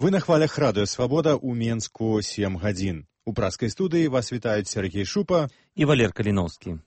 Вы на хвалях радыё «Свабода» ў Менску 7 гадзін. У праскай студыі вас вітаюць Сергей Шупа і Валер Каліноўскі.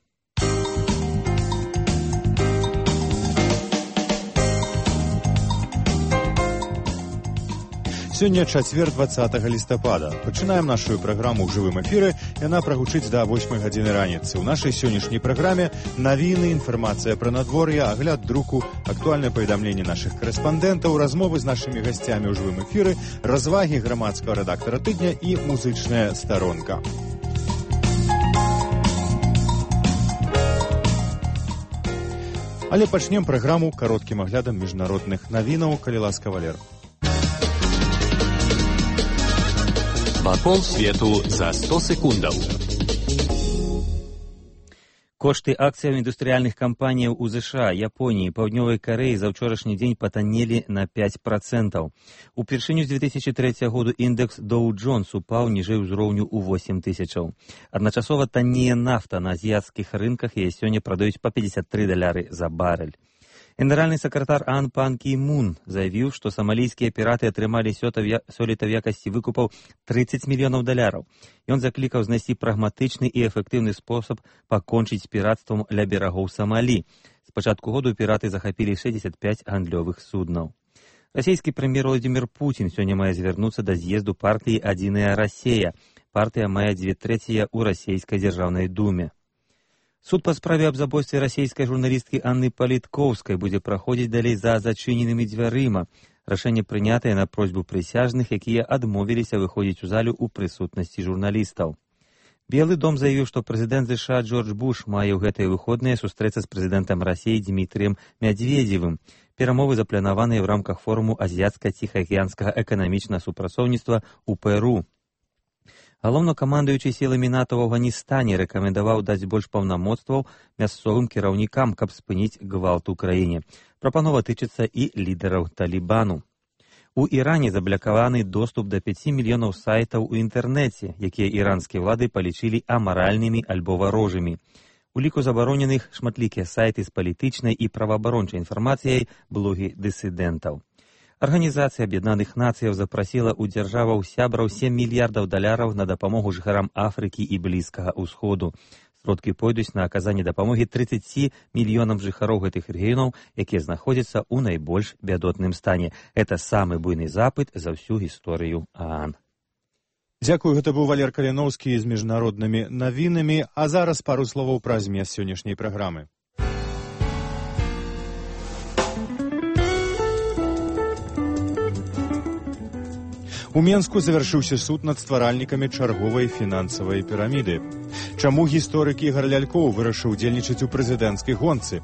Сёння чацвер 20 лістапада. Пачынаем нашу праграму ў жывым эфіры. Яна прагучыць да 8 гадзіны раніцы. У нашай сённяшняй праграме навіны, інфармацыя пра надвор'е, агляд друку, актуальнае паведамленне нашых корэспандэнтаў, размовы з нашымі гасцямі ў жывым эфіры, развагі грамадскага рэдактара тыдня і музычная старонка. Але пачнем праграму кароткім аглядам міжнародных навінаў, калі ласка, Валер. Вакол свету за 100 секундаў. Кошты акцыяў індустрыяльных кампаніяў у ЗША, Японіі, Паўднёвай Карэі за ўчорашні дзень патаннелі на 5%. Упершыню з 2003 году індекс Dow Jones упаў ніжэй узроўню ў 8 тысячаў. Адначасова таннее нафта на азіяцкіх рынках, яе сёння прадаюць па $53 за барэль. Генеральны сакратар ААН Пан Кі Мун заявіў, што самалійскія піраты атрымалі сёлета ў якасці выкупаў $30 мільёнаў. Ён заклікаў знайсці прагматычны і эфектыўны спосаб пакончыць з піратствам ля берагоў Самалі. З пачатку году піраты захапілі 65 гандлёвых суднаў. Расійскі прэм'ер Владзімір Пуцін сёння мае звярнуцца да з'езду партыі «Адзіная Расія». Партыя мае 2/3 ў расійскай дзяржаўнай думе. Суд па справе аб забойстве расійскай журналісткі Анны Паліткоўскай будзе праходзіць далей за зачыненымі дзвярыма. Рашэнне прынятае на просьбу прысяжных, якія адмовіліся выходзіць у залю ў прысутнасці журналістаў. Белы дом заявіў, што прэзідэнт ЗША Джордж Буш мае ў гэтыя выходныя сустрэцца з прэзідэнтам Расіі Дмітрыем Мядзведзевым. Перамовы запланаваныя ў рамках форуму азіяцка-ціхаакіянскага эканамічнага супрацоўніцтва ў Перу. Галоўнакамандуючы сіламі НАТО ў Афганістане рэкамендаваў даць больш паўнамоцтваў мясцовым кіраўнікам, каб спыніць гвалт у краіне. Прапанова тычыцца і лідараў Талібану. У Іране заблакаваны доступ да 5 мільёнаў сайтаў у інтэрнэце, якія іранскія ўлады палічылі амаральнымі альбо варожымі. У ліку забароненых шматлікія сайты з палітычнай і праваабарончай інфармацыяй, блогі дысідэнтаў. Арганізацыя Аб'яднаных Нацыяў запрасіла ў дзяржаваў сябраў $7 мільярдаў на дапамогу жыхарам Афрыкі і Блізкага ўсходу. Сродкі пойдуць на аказанне дапамогі 30 мільёнам жыхароў гэтых рэгіёнаў, якія знаходзяцца ў найбольш бядотным стане. Гэта самы буйны запыт за ўсю гісторыю ААН. Дзякую, гэта быў Валер Каліноўскі з міжнароднымі навінамі, а зараз пару словаў пра змест сённяшняй праграмы. У Менску завяршыўся суд над стваральнікамі чарговай фінансавай піраміды. Чаму гісторык Ігар Лялькоў вырашыў удзельнічаць у прэзідэнцкай гонцы?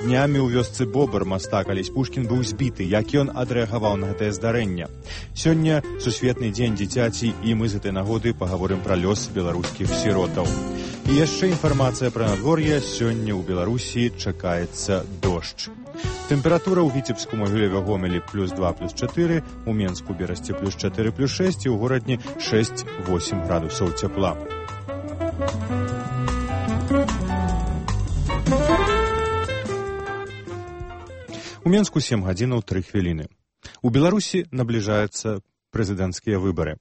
Днямі ў вёсцы Бобр мастак Алесь Пушкін быў збіты. Як ён адрэагаваў на гэтае здарэнне? Сёння сусветны дзень дзіцяці, і мы з гэтай нагоды пагаворым пра лёс беларускіх сіротаў. І яшчэ інфармацыя пра надвор'е. Сёння ў Беларусі чакаецца дождж. Тэмпература ў Віцебску, Могілеве, Гомелі +2+4, у Менску, Берасці +4+6 і ў горадні 6-8 градусаў цяпла. У Менску 7 гадзінаў 3 хвіліны. У Беларусі набліжаюцца прэзідэнцкія выбары.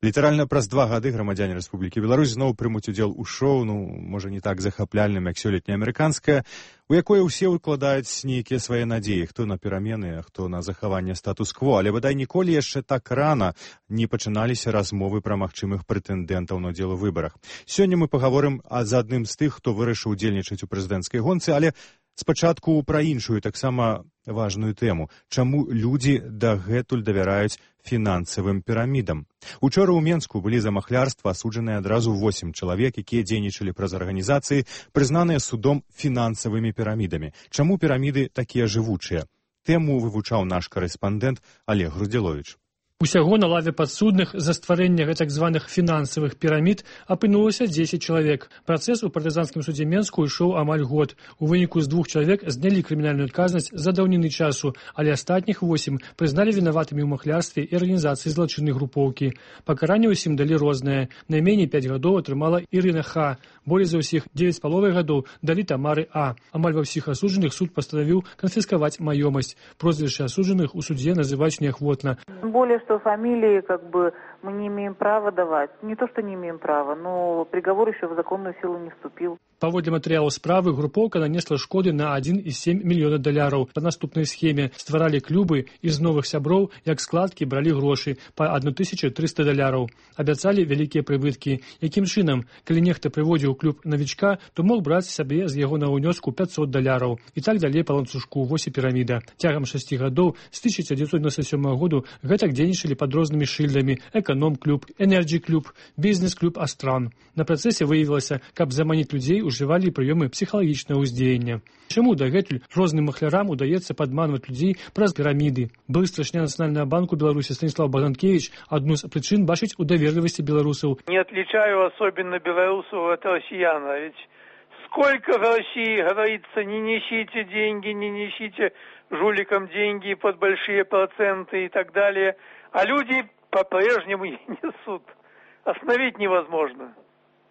Літаральна праз 2 гады грамадзяне Рэспублікі Беларусь зноў прымуць удзел у шоу, можа, не так захапляльным, як сёлетняе амерыканскае, у якое ўсе ўкладаюць нейкія свае надзеі, хто на перамены, а хто на захаванне статус-кво, але бадай ніколі яшчэ так рана не пачыналіся размовы пра магчымых прэтэндэнтаў на ўдзел у выбарах. Сёння мы пагаворым з адным з тых, хто вырашыў удзельнічаць у прэзідэнцкай гонцы, але спачатку пра іншую, таксама важную тэму. Чаму людзі дагэтуль давяраюць фінансавым пірамідам? Учора ў Менску былі за махлярства асуджаныя адразу 8 чалавек, якія дзейнічалі праз арганізацыі, прызнаныя судом фінансавымі пірамідамі. Чаму піраміды такія жывучыя? Тэму вывучаў наш корэспандэнт Олег Грудзіловіч. Усяго на лаве падсудных за стварэнне гэтак званых фінансавых пірамід апынулася 10 чалавек. Працэс у партызанскім судзе Менску ішоў амаль год. У выніку з 2 чалавек знялі крымінальную адказнасць за даўніны часу, але астатніх 8 прызналі вінаватымі ў махлярстве і арганізацыі злачыннай групоўкі. Пакаранне ўсім далі рознае. Найменей 5 гадоў атрымала Ірына Х. Болей за ўсіх 9,5 гадоў далі Тамары А. Амаль ва ўсіх асуджаных суд пастанавіў канфіскаваць маёмасць. Прозвішчы асуджаных у судзе называюць неахвотна. Более что фамилии мы не имеем права давать. Не то, что не имеем права, но приговор еще в законную силу не вступил. Паводле матэрыялаў справы, групоўка нанесла шкоды на 1,7 мільёна даляраў. Па наступнай схеме стваралі клубы і з новых сяброў, як складкі, бралі грошы па 1300 даляраў. Абяцалі вялікія прыбыткі. Якім чынам, калі нехта прыводзіў клуб навічка, то мог браць сабе з яго на ўнёску 500 даляраў. І так далей па ланцужку, вось і піраміда. Цягам 6 гадоў з 1997 году гэтак дзейнічалі пад рознымі шыльдамі эканом-клуб, энерджі-клуб, бізнес-клуб Астран. На працэсе выявілася, каб заманіць людзей, ужывалі прыёмы псіхалагічнага ўздзеяння. Чаму дагэтуль розным махлярам удаецца падманваць людзей праз піраміды? Былы старшыня Нацыянальнага банку Беларусі Станіслав Богданкевич адну з прычын бачыць у даверлівасці беларусаў. Не отличаю особенно белорусов от россиян, ведь сколько в России говорится, не несите деньги, не несите жуликам деньги под большие проценты и так далее, а люди по-прежнему не несут. Остановить невозможно.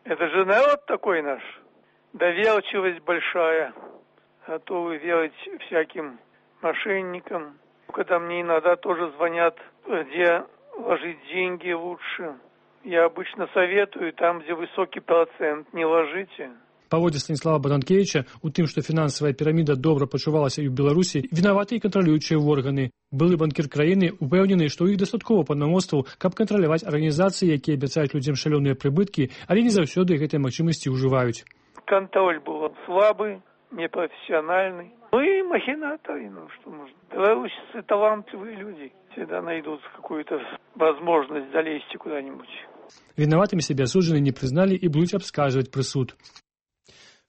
Это же народ такой наш. Доверчивость большая. Готовы верить всяким мошенникам. Когда мне иногда тоже звонят, где ложить деньги лучше. Я обычно советую, там, где высокий процент, не ложите. Паводле Станіслава Богданкевича, у тым, што фінансавая піраміда добра пачувалася і ў Беларусі, вінаваты і кантралюючыя органы. Былы банкір краіны упэўнены, што ў іх дастаткова паўнамоцтваў, каб кантраляваць арганізацыі, якія абяцаюць людзям шалёныя прыбыткі, але не заўсёды гэтай магчымасці ўжываюць. Контроль был слабый, непрофессиональный. Ну и махинаторы, что можно. Белорусы талантливые люди. Всегда найдут какую-то возможность залезть куда-нибудь. Вінаватымі сябе асуджаны не прызналі і будуць абскарджваць прысуд.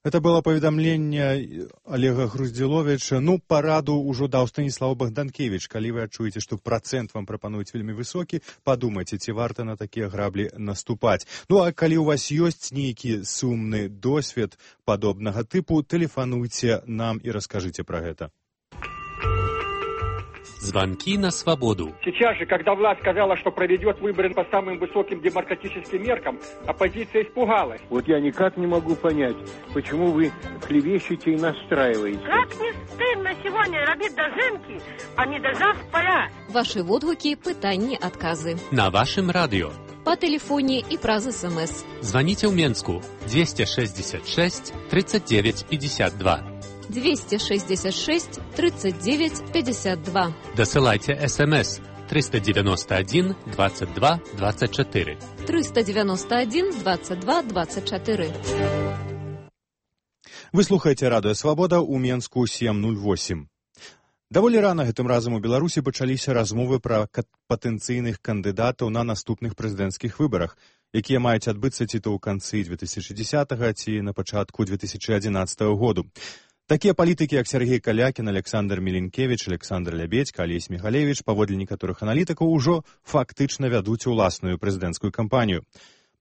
Это было паведамленне Олега Груздзіловіча. Параду ўжо даў Станіслав Богданкевич. Калі вы адчуеце, што працэнт вам прапануюць вельмі высокі, падумайце, ці варта на такія граблі наступаць. А калі у вас ёсць нейкі сумны досвед падобнага тыпу, тэлефануйце нам і раскажыце пра гэта. Звонки на свободу. Сейчас же, когда власть сказала, что проведет выборы по самым высоким демократическим меркам, оппозиция испугалась. Вот я никак не могу понять, почему вы клевещете и настраиваете. Как не стыдно сегодня робить дожинки, а не дожав поля. Ваши водгуки, пытанні, отказы. На вашем радио. По телефоне и праз СМС. Звоните в Менску 266 39 52. 266 39 52. Досылайте СМС 391 22 24. 391 22 24. Вы слухаеце Радыё Свабода ў Менску 708. Даволі рана гэтым разам у Беларусі пачаліся размовы пра патэнцыйных кандыдатаў на наступных прэзідэнцкіх выбарах, якія маюць адбыцца ці то ў канцы 2010-га, ці на пачатку 2011 году. Такія палітыкі, як Сергей Калякін, Александр Міленкевіч, Александр Лябедзька, Алесь Міхалевіч, паводле некаторых аналітыкаў, ужо фактычна вядуць уласную прэзідэнцкую кампанію.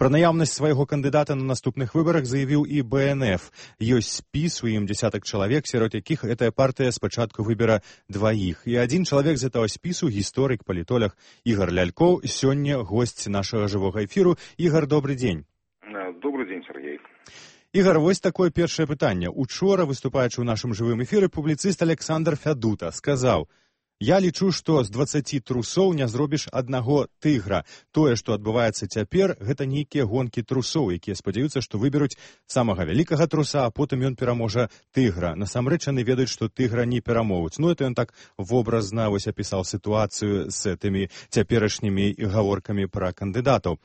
Пра наяўнасць свайго кандыдата на наступных выбарах заявіў і БНФ. Ёсць спіс, у ім дзесятак чалавек, сярод якіх гэтая партыя спачатку выбера дваіх. І адзін чалавек з гэтага спісу, гісторык, палітолог Ігар Лялькоў, сёння госць нашага жывога эфіру. Ігар, добрый дзень. Добрый дзень, Сергей. Ігар, вось такое першае пытанне. Учора, выступаючы ў нашым жывым эфіры, публіцыст Александр Фядута сказаў: «Я лічу, што з 20 трусоў не зробіш аднаго тыгра. Тое, што адбываецца цяпер, гэта нейкія гонкі трусоў, якія спадзяюцца, што выберуць самага вялікага труса, а потым ён пераможа тыгра. Насамрэч яны ведаюць, што тыгра не перамогуць». Это ён так вобразна апісаў сітуацыю з тымі цяперашнімі гаворкамі пра кандыдатаў.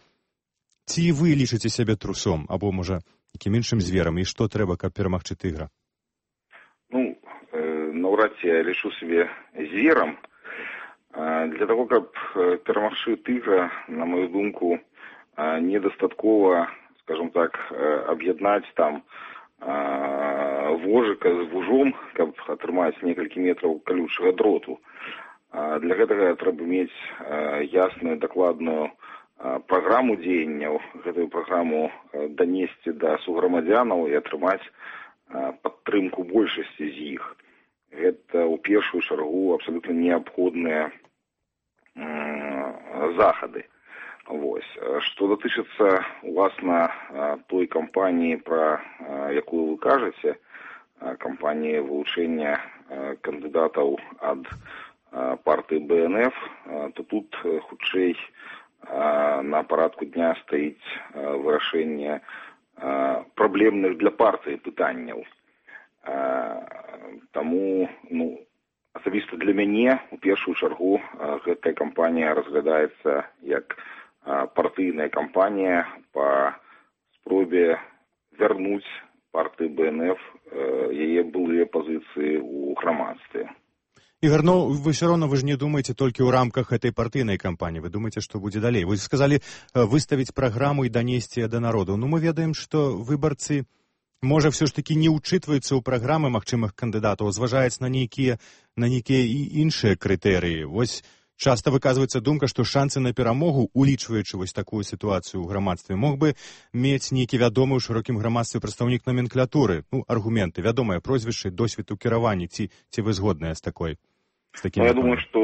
Ці вы лічыце сябе трусом, або, можа, якім іншым зверам, і што трэба, каб перамагчы тыгра? Наўрад ці я лічу сябе зверам. Для того, каб перамагчы тыгра, на мою думку, недастаткова, скажем так, аб'яднаць там вожыка з вужом, каб атрымаць некалькі метраў калючага дроту. Для гэтага трэба мець ясную, дакладную праграму дзеянняў, гэтую праграму данесці да суграмадзянаў і атрымаць падтрымку большасці з іх. Гэта ў першую чаргу абсалютна неабходныя захады. Што датычыцца, уласна, той кампаніі, пра якую вы кажаце, кампаніі вылучэння кандыдатаў ад партыі БНФ, то тут хутчэй на парадку дня стаіць вырашэнне праблемных для партыі пытанняў. Таму, асабіста для мяне у першую чаргу гэтая кампанія разглядаецца як партыйная кампанія па спробе вярнуць партыі БНФ яе былыя пазіцыі ў грамадстве. Ігор, вы все равно, вы же не думаете только в рамках этой партийной кампании, вы думаете, что будет далее. Вы сказали выставить программу и донести до народа. Мы ведаем, что выборцы, может, все ж таки не учитываются у программы магчымых кандидатов, зважаюць на нейкія і іншыя крытэрыі. Вось часто выказваецца думка, што шансы на перамогу, улічваючы вось такую сітуацыю ў грамадстве, мог бы мець нейкі вядомы ў шырокім грамадстве прадстаўнік номенклатуры, аргументы, вядомыя прозвішчы, досвед у кіраванні, ці вы згодныя з такой? Я думаю, што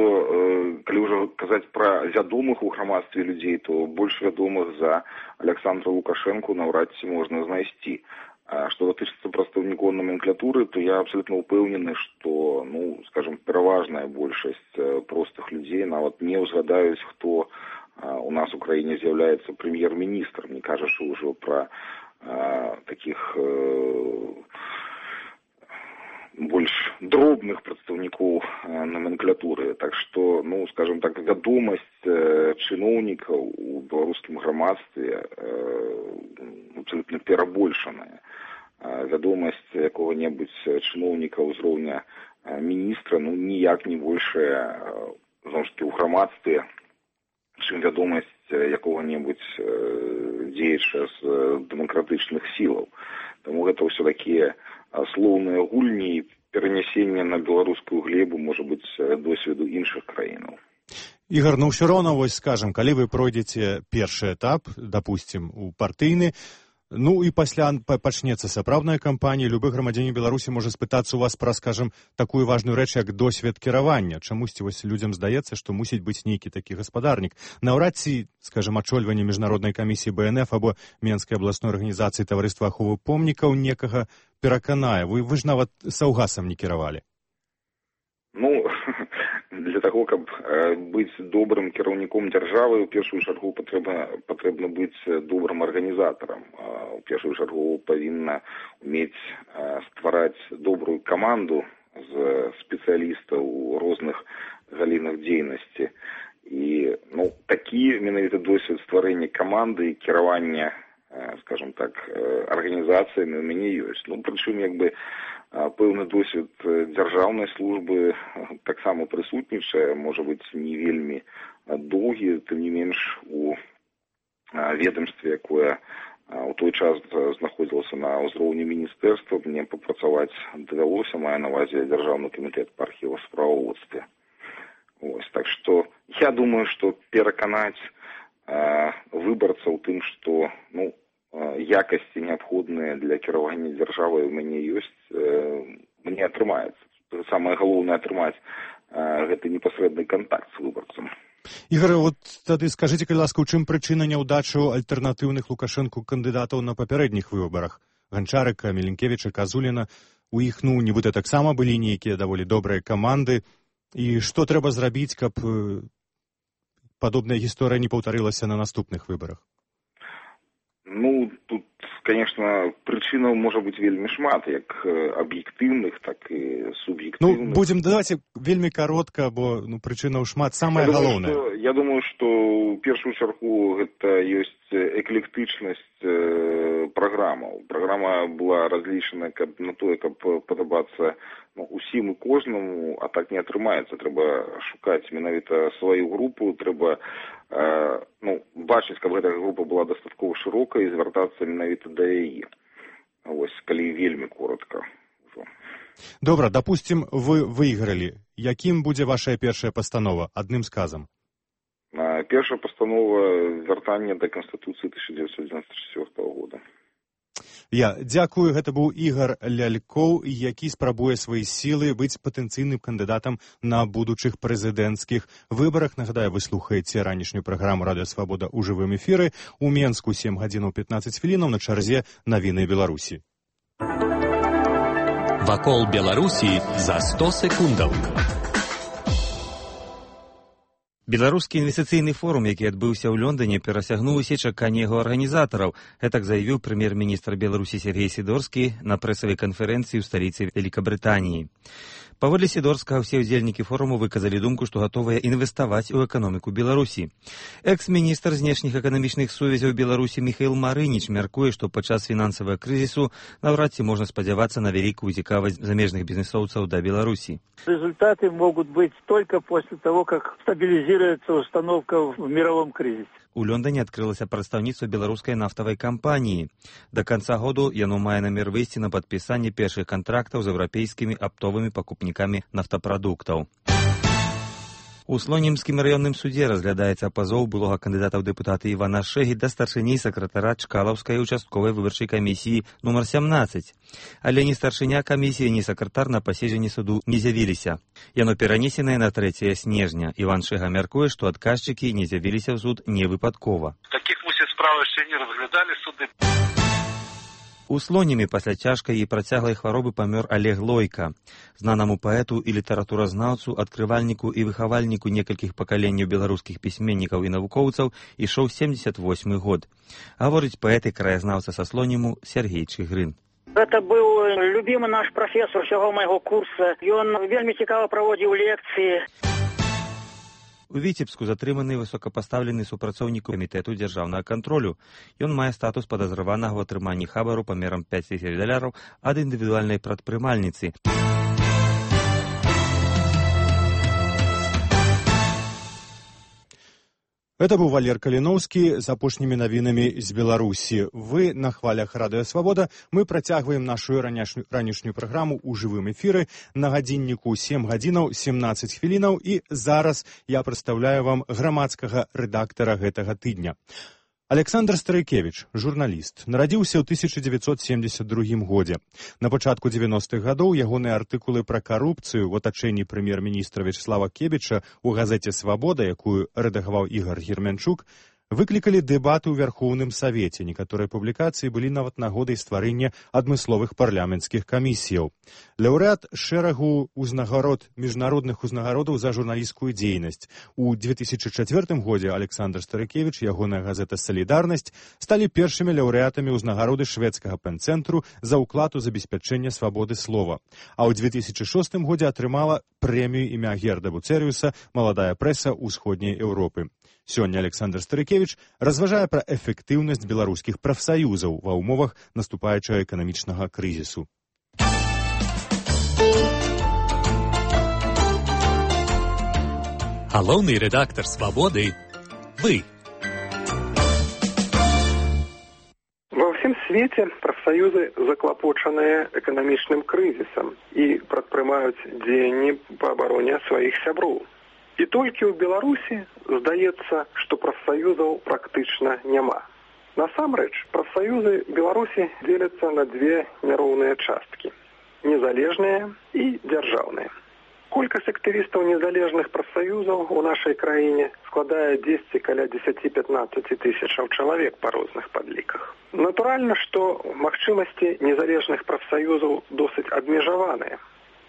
калі ўжо казаць пра вядомых у грамадстве людзей, то больш вядомых за Александра Лукашэнку наўрад ці можна знайсці. Што датычыцца прадстаўнікоў номенклатуры, то я абсолютно упэўнены, што, скажем, пераважная большасць простых людзей нават не ўзгадаюць, хто у нас у краіне з'яўляецца прэм'ер-міністрам, не кажучы ўжо пра такіх больш дробных прадстаўнікоў номенклатуры. Так што, скажем так, вядомасць чыноўнікаў у беларускім грамадстве абсолютно перабольшаная. Вядомасць якога-небудзь чыноўніка ўзроўня міністра, ніяк не большая, зноў ж такі, ў грамадстве, чым вядомасць якога-небудзь дзеяча з дэмакратычных сілаў. Таму гэта ўсё такія слоўныя гульні і перанясенне на беларускую глебу, можа быць, досведу іншых краінаў. Ігор, ўсё роўна, вось скажам, калі вы пройдзеце першы этап, дапусцім, у партыйны, і пасля пачнецца сапраўдная кампанія, любы грамадзянін Беларусі можа спытацца у вас пра, скажам, такую важную рэч, як досвед кіравання. Чамусьці вось людзям здаецца, што мусіць быць нейкі такі гаспадарнік. Наўрад ці, скажам, ачольванне міжнароднай камісіі БНФ або Менскай абласной арганізацыі таварыства аховы помнікаў некага пераканае. Вы ж нават саўгасам не кіравалі. Для таго, каб быць добрым кіраўніком дзяржавы, у першую чаргу патрэбна быць добрым арганізатарам. У першую чаргу павінна умець ствараць добрую каманду з спецыялістаў у розных галінах дзейнасці. І такі менавіта досвед стварэння каманды і кіравання, скажем так, арганізацыямі у мяне ёсць. Прычым, пэўны досвед дзяржаўнай службы таксама прысутнічае, можа быць, не вельмі доўгі, тым не менш у ведомстве, якое у той час знаходзілася на ўзроўні міністэрства, мне папрацаваць давялося, мае на ўвазе дзяржаўны камітэт па архівасправаводстве. Так што я думаю, што пераканаць выбарцаў тым, што якасці неабходныя для кіравання дзяржавай у мяне ёсць, мне атрымаецца. Самае галоўнае атрымаць гэты непасрэдны кантакт з выбарцам. Ігор, тады скажыце, калі ласка, у чым прычына няўдачы альтэрнатыўных Лукашэнку кандыдатаў на папярэдніх выбарах? Ганчарыка, Меленкевіча, Казуліна, у іх, нібыта таксама былі нейкія даволі добрыя каманды. І што трэба зрабіць, каб падобная гісторыя не паўтарылася на наступных выбарах? Тут, конечно, прычынаў можа быць вельмі шмат, як аб'ектыўных, так і суб'ектыўных. Давайте вельмі каротка, бо прычынаў шмат. Самае галоўнае. Я думаю, што ў першую чаргу гэта ёсць эклектычнасць праграмаў. Праграма была разлічана на тое, каб падабацца усім і кожнаму, а так не атрымаецца. Трэба шукаць менавіта сваю групу, трэба бачыць, каб гэтая група была дастаткова шырокая і звяртацца менавіта да яе. Калі вельмі коротка. Добра, дапусцім, вы выйгралі. Якім будзе ваша першая пастанова? Адным сказам. Першая пастанова вяртання да Канстытуцыі 1994 года. Я дзякую, гэта быў Ігор Лялькоў, які спрабуе свае сілы быць патэнцыйным кандыдатам на будучых прэзідэнцкіх выбарах. Нагадаю, вы слухаеце ранішнюю праграму «Радыё Свабода» ў жывым эфіры. У Менску 7 гадзінаў 15 хвілінаў, на чарзе навіны Беларусі. Вакол Беларусі за 100 секундаў. Беларускі інвестыцыйны форум, які адбыўся ў Лондоне, перасягнуў усе чаканні яго арганізатараў. Гэтак заявіў прэм'ер-міністр Беларусі Сергей Сідорскі на прэсавай канферэнцыі ў сталіцы Вялікабрытаніі. Паводле Сідорскага, усе ўдзельнікі форуму выказалі думку, што гатовыя інвеставаць у эканоміку Беларусі. Экс-міністр знешніх эканамічных сувязяў Беларусі Міхаіл Марыніч мяркуе, што падчас фінансавага крызісу наўрад ці можна спадзявацца на вялікую цікавасць замежных бізнесоўцаў да Беларусі. Результаты могут быть только после того, как стабилизируется установка в мировом кризисе. У Лондоне адкрылася прадстаўніцтва беларускай нафтавай кампаніі. Да канца году яно мае намер выйсці на падпісанне першых кантрактаў з еўрапейскімі аптовымі пакупнікамі нафтапрадуктаў. У Слонімскім раённым судзе разглядаецца пазоў былога кандыдата ў дэпутаты Івана Шэгі да старшыні сакратара Чкалаўскай участковай выбарчай камісіі нумар 17. Але ні старшыня камісіі, ні сакратар на паседжанні суду не з'явіліся. Яно перанесенае на 3 снежня. Іван Шэга мяркуе, што адказчыкі не з'явіліся ў суд не выпадкова. Такіх справ яшчэ не разглядалі суды. У Слонімі пасля цяжкай і працяглай хваробы памёр Олег Лойка. Знанаму паэту і літаратуразнаўцу, адкрывальніку і выхавальніку некалькіх пакаленняў беларускіх пісьменнікаў і навукоўцаў ішоў 78 год. Гаворыць паэт і краязнаўца са Слоніму Сергей Чыгрын. Это был любимый наш профессор всего моего курса. Ён вельмі цікава праводзіў лекцыі. У Віцебску затрыманы высокапастаўлены супрацоўнік камітэту дзяржаўнага кантролю. Ён мае статус падазраванага ў атрыманні хабару памерам $5000 ад індывідуальнай прадпрымальніцы. Это быў Валер Каліноўскі з апошнімі навінамі з Беларусі. Вы на хвалях Радыё Свабода. Мы працягваем нашу ранішнюю праграму ў жывым эфіры на гадзінніку 7 гадзінаў 17 хвілінаў. І зараз я прадстаўляю вам грамадскага рэдактара гэтага тыдня. Александр Старыкевіч, журналіст, нарадзіўся ў 1972 годзе. На пачатку 90-х гадоў ягоныя артыкулы пра карупцыю ў атачэнні прэм'ер-міністра Вячеслава Кебіча ў газеце «Свабода», якую рэдагаваў Ігор Герменчук, выклікалі дэбаты ў Вярхоўным Савеце. Некаторыя публікацыі былі нават нагодай стварэння адмысловых парламенцкіх камісіяў. Лаўрэат шэрагу міжнародных узнагародаў за журналісцкую дзейнасць. У 2004 годзе Александр Старыкевіч і ягоная газета «Салідарнасць» сталі першымі лаўрэатамі ўзнагароды шведскага пэн-цэнтру за ўклад у забеспячэнне свабоды слова. А ў 2006 годзе атрымала прэмію імя Герда Буцэрыуса «Маладая прэса ўсходняй Еўропы». Сёння Александр Старыкевіч разважае пра эфектыўнасць беларускіх прафсаюзаў ва ўмовах наступаючага эканамічнага крызісу. Галоўны рэдактар «Свабоды» – вы. Ва ўсім свеце прафсаюзы заклапочаныя эканамічным крызісам і прадпрымаюць дзеянні па абароне сваіх сяброў. І толькі ў Беларусі здаецца, што прафсаюзаў практычна няма. Насамрэч, прафсаюзы Беларусі дзеляцца на две няроўныя часткі – незалежныя і дзяржаўныя. Колькасць актывістаў незалежных прафсаюзаў у нашай краіне складае каля 10-15 тысячаў чалавек па розных падліках. Натуральна, што магчымасці незалежных прафсаюзаў досыць абмежаваныя.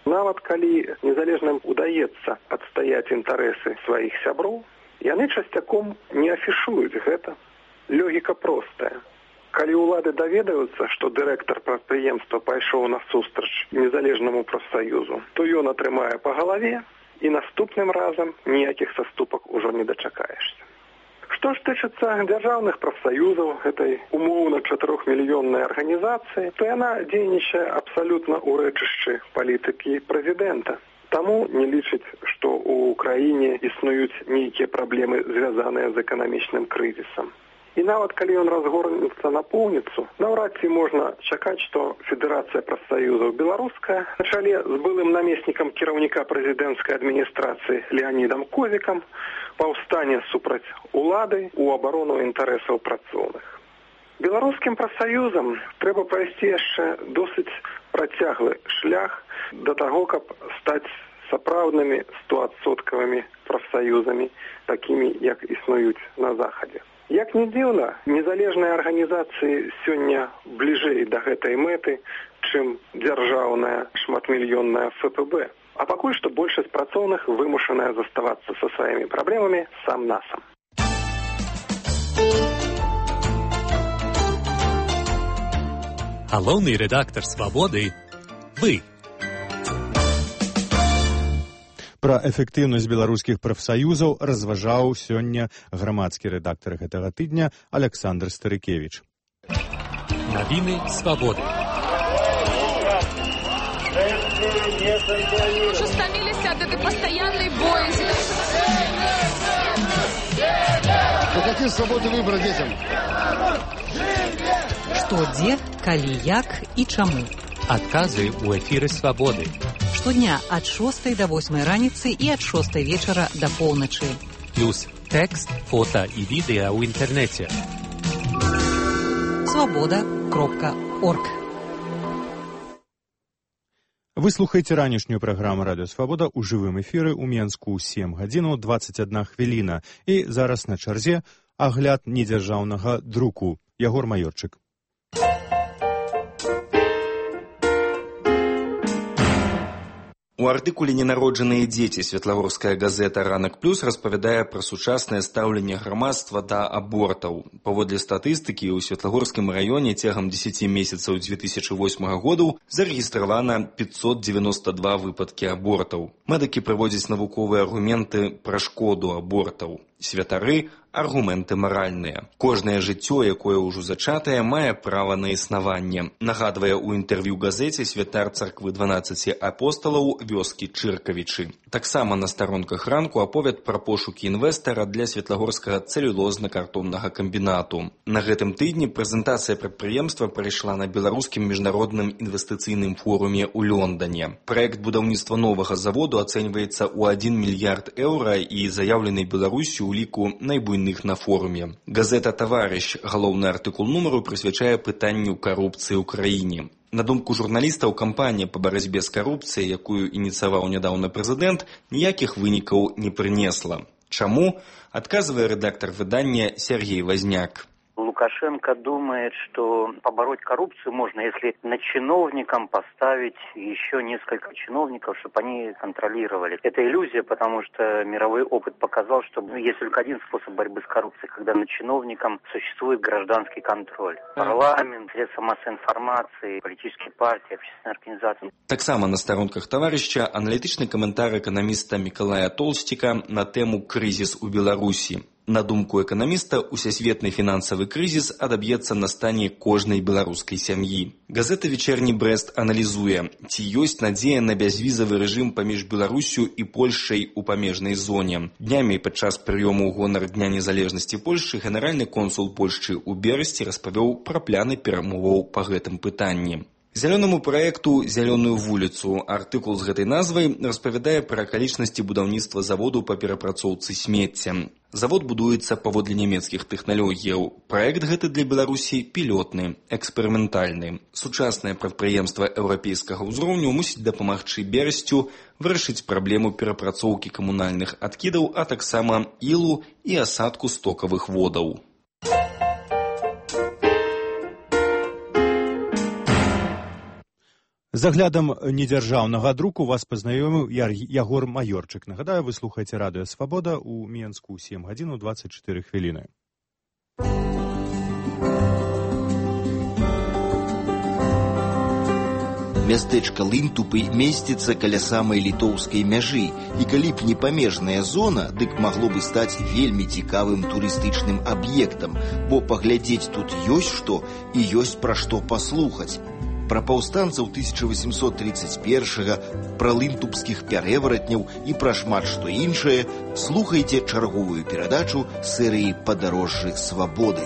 Нават калі незалежным удаецца адстаяць інтарэсы сваіх сяброў, яны часцяком не афішуюць гэта. Логіка простая. Калі ўлады даведаюцца, што дырэктар прадпрыемства пайшоў насустрач незалежнаму прафсаюзу, то ён атрымае па галаве і наступным разам ніякіх саступак ужо не дачакаешся. Што ж тычыцца дзяржаўных прафсаюзаў гэтай умоўна 4-мільённай арганізацыі, то яна дзейнічае абсалютна ў рэчышчы палітыкі прэзідэнта. Таму не лічыць, што ў краіне існуюць нейкія праблемы, звязаныя з эканамічным крызісам. І нават калі ён разгорнецца на поўніцу, наўрад ці можна чакаць, што Федэрацыя прафсаюзаў беларуская на чале з былым намеснікам кіраўніка прэзідэнцкай адміністрацыі Леанідам Козікам паўстане супраць улады ў абарону інтарэсаў працоўных. Беларускім прафсаюзам трэба прайсці яшчэ досыць працяглы шлях да таго, каб стаць сапраўднымі 100% прафсаюзамі, такімі, як існуюць на Захадзе. Як не дзіўна, незалежныя арганізацыі сёння бліжэй да гэтай мэты, чым дзяржаўная шматмільённая ФПБ. А пакуль што большасць працоўных вымушаная заставацца са сваімі праблемамі сам-насам. Галоўны рэдактар «Свабоды» – вы. Пра эфектыўнасць беларускіх прафсаюзаў разважаў сёння грамадскі рэдактар гэтага тыдня Александр Старыкевіч. Навіны «Свабоды». Уже стомились от этой постоянной боязни. Вы какие свободы выбора детям? Што, дзе, калі, як і чаму. Адказы ў эфіры «Свабоды». Штодня ад 6 до 8 раніцы і ад 6 вечара до поўначы. Плюс тэкст, фота і відэа ў інтэрнэце. Свабода.орг. Вы слухаеце ранішнюю праграму «Радыё Свабода» ў жывым эфіры ў Менску 7 гадзінаў 21 хвіліна. І зараз на чарзе агляд недзяржаўнага друку. Ягор Маёрчык. У артыкуле «Ненароджаныя дзеці» светлагорская газета «Ранак плюс» распавядае пра сучаснае стаўленне грамадства да абортаў. Паводле статыстыкі, у Светлагорскім раёне цягам 10 месяцаў 2008 году зарэгістравана 592 выпадкі абортаў. Медыкі прыводзяць навуковыя аргументы пра шкоду абортаў. Святары – аргументы маральныя. Кожнае жыццё, якое ўжо зачатае, мае права на існаванне. Нагадвае ў інтэрв'ю газеце святар царквы 12 апосталаў вёскі Чыркавічы. Таксама на старонках ранку аповяд пра пошукі інвестара для светлагорскага цэлюлозна-картоннага камбінату. На гэтым тыдні прэзентацыя прадпрыемства прайшла на беларускім міжнародным інвестыцыйным форуме ў Лондане. Праект будаўніцтва новага заводу ацэньваецца ў 1 мільярд еўра і заяўлены Беларусю у ліку найбуйных на форуме. Газета «Таварыш», галоўны артыкул нумару, прысвячае пытанню карупцыі ў краіне. На думку журналістаў, кампанія па барацьбе з карупцыяй, якую ініцыяваў нядаўна прэзідэнт, ніякіх вынікаў не прынесла. Чаму? Адказвае рэдактар выдання Сергей Возняк. Лукашенко думает, что побороть коррупцию можно, если над чиновником поставить еще несколько чиновников, чтобы они контролировали. Это иллюзия, потому что мировой опыт показал, что есть только один способ борьбы с коррупцией, когда над чиновником существует гражданский контроль. Парламент, средства массовой информации, политические партии, общественные организации. Таксама на старонках «Таварища» аналітычны каментар эканаміста Мікалая Толстіка на тэму «Крызіс у Беларусі». На думку эканаміста, усесветны фінансавы крызіс адаб'ецца на стане кожнай беларускай сям'і. Газета «Вечерні Брест» аналізуе, ці ёсць надзея на бязвізавы рэжым паміж Беларусю і Польшай у памежнай зоне. Днямі падчас прыёму ў гонар Дня незалежнасці Польшчы генеральны консул Польшчы ў Берасці распавёў пра пляны перамоваў па гэтым пытанні. Зялёнаму праекту «Зялёную вуліцу» артыкул з гэтай назвай распавядае пра акалічнасці будаўніцтва заводу па перапрацоўцы смецця. Завод будуецца паводле нямецкіх тэхналогіяў. Праект гэты для Беларусі пілотны, эксперыментальны. Сучаснае прадпрыемства еўрапейскага ўзроўню мусіць дапамагчы Берасцю вырашыць праблему перапрацоўкі камунальных адкідаў, а таксама ілу і асадку стокавых водаў. З аглядам недзяржаўнага друку вас пазнаёміў Ягор Маёрчык. Нагадаю, вы слухаеце «Радыё Свабода» ў Менску 7 гадзінаў 24 хвіліны. Мястэчка Лынтупы месціцца каля самай літоўскай мяжы, і калі б не памежная зона, дык магло бы стаць вельмі цікавым турыстычным аб'ектам, бо паглядзець тут ёсць што і ёсць пра што паслухаць. Пра паўстанцаў 1831-га, пра лынтупскіх пярэваратняў і пра шмат што іншае слухайце чарговую перадачу серыі «Падарожжы свабоды».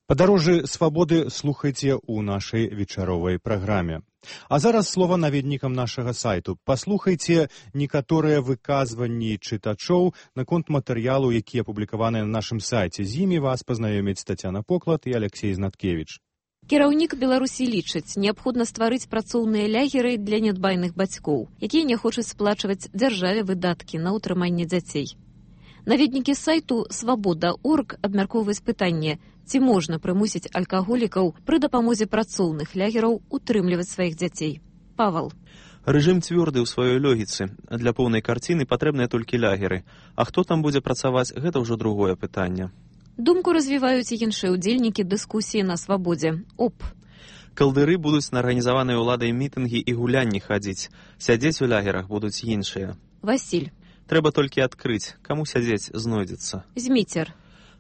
«Падарожжы свабоды» слухайце ў нашай вечаровай праграме. А зараз слова наведнікам нашага сайту. Паслухайце некаторыя выказванні чытачоў наконт матэрыялу, які апублікаваны на нашым сайце. З імі вас пазнаёмяць Тацяна Поклад і Алексей Знаткевіч. Кіраўнік Беларусі лічыць, неабходна стварыць працоўныя лягеры для нядбайных бацькоў, якія не хочуць сплачваць дзяржаве выдаткі на ўтрыманне дзяцей. Наведнікі сайту «Свабода.орг» абмяркоўваюць пытанне, ці можна прымусіць алкаголікаў пры дапамозе працоўных лягераў утрымліваць сваіх дзяцей. Павал. Рэжым цвёрды ў сваёй логіцы. Для поўнай карціны патрэбныя толькі лягеры. А хто там будзе працаваць, гэта ўжо другое пытанне. Думку развіваюць і іншыя ўдзельнікі дыскусіі на Свабодзе. Калдыры будуць на арганізаваныя ўладай мітынгі і гулянні хадзіць. Сядзець у лягерах будуць іншыя. Васіль. Трэба толькі адкрыць, каму сядзець знойдзецца. Зміцер.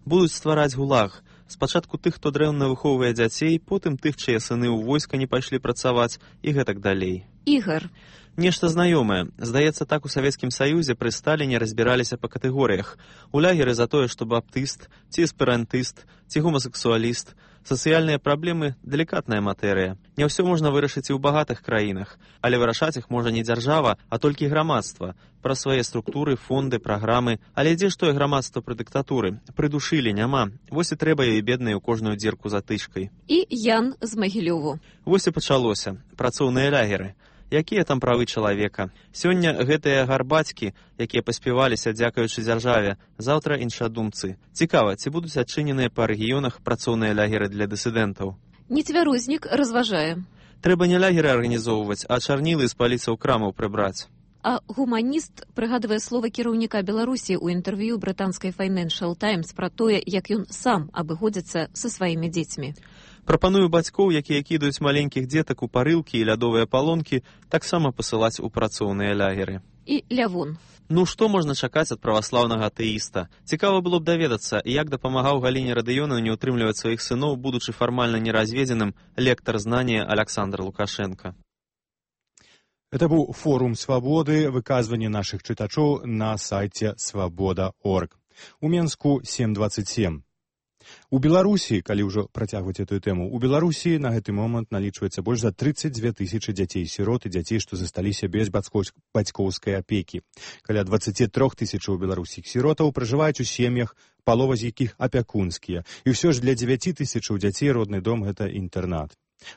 Будуць ствараць гулаг. Спачатку тых, хто дрэнна выхоўвае дзяцей, потым тых, чые сыны ў войска не пайшлі працаваць і гэтак далей. Ігар. Нешта знаёмае. Здаецца, так у Савецкім Саюзе пры Сталіне разбіраліся па катэгорыях. У лягеры за тое, што баптыст, ці эсперантыст, ці гомасексуаліст. Сацыяльныя праблемы – далікатная матэрыя. Не ўсё можна вырашыць і ў багатых краінах, але вырашаць іх можа не дзяржава, а толькі грамадства. Пра свае структуры, фонды, праграмы. Але дзе ж тое грамадства пры дыктатуры? Прыдушылі няма. Вось і трэба ёй беднай у кожную дзірку затычкай. І Ян з Магілёву. Вось і пачалося. Працоўныя лягеры. Якія там правы чалавека? Сёння гэтыя гарбацькі, якія паспяваліся дзякуючы дзяржаве, заўтра іншадумцы. Цікава, ці будуць адчыненыя па рэгіёнах працоўныя лягеры для дысідэнтаў? Нецвярозник разважае. Трэба не лягеры арганізоўваць, а чарнілы з паліцаў крамаў прыбраць. А гуманіст прыгадвае слова кіраўніка Беларусі ў інтэрв'ю брытанскай Financial Times пра тое, як ён сам абыходзіцца са сваімі дзецьмі. Прапаную бацькоў, якія кідаюць маленькіх дзетак у парылкі і лядовыя палонкі, таксама пасылаць у працоўныя лягеры. І Лявон. Ну, што можна чакаць ад праваслаўнага атэіста? Цікава было б даведацца, як дапамагаў Галіне Радыёнаў не ўтрымліваць сваіх сыноў, будучы фармальна неразведзеным, лектар знання Александр Лукашенко. Это быў форум свабоды, выказванне нашых чытачоў на сайце свабода.орг. У Менску 7:27. У Беларусі, калі ўжо працягваць эту тэму, у Беларусі на гэты момант налічваецца больш за 32 тысячы дзяцей-сірот і дзяцей, што засталіся без бацькоўскай апекі. Каля 23 тысячаў беларускіх сіротаў пражываюць у сем'ях, палова з якіх апякунскія. І ўсё ж для 9 тысячаў дзяцей родны дом – гэта інтэрнат.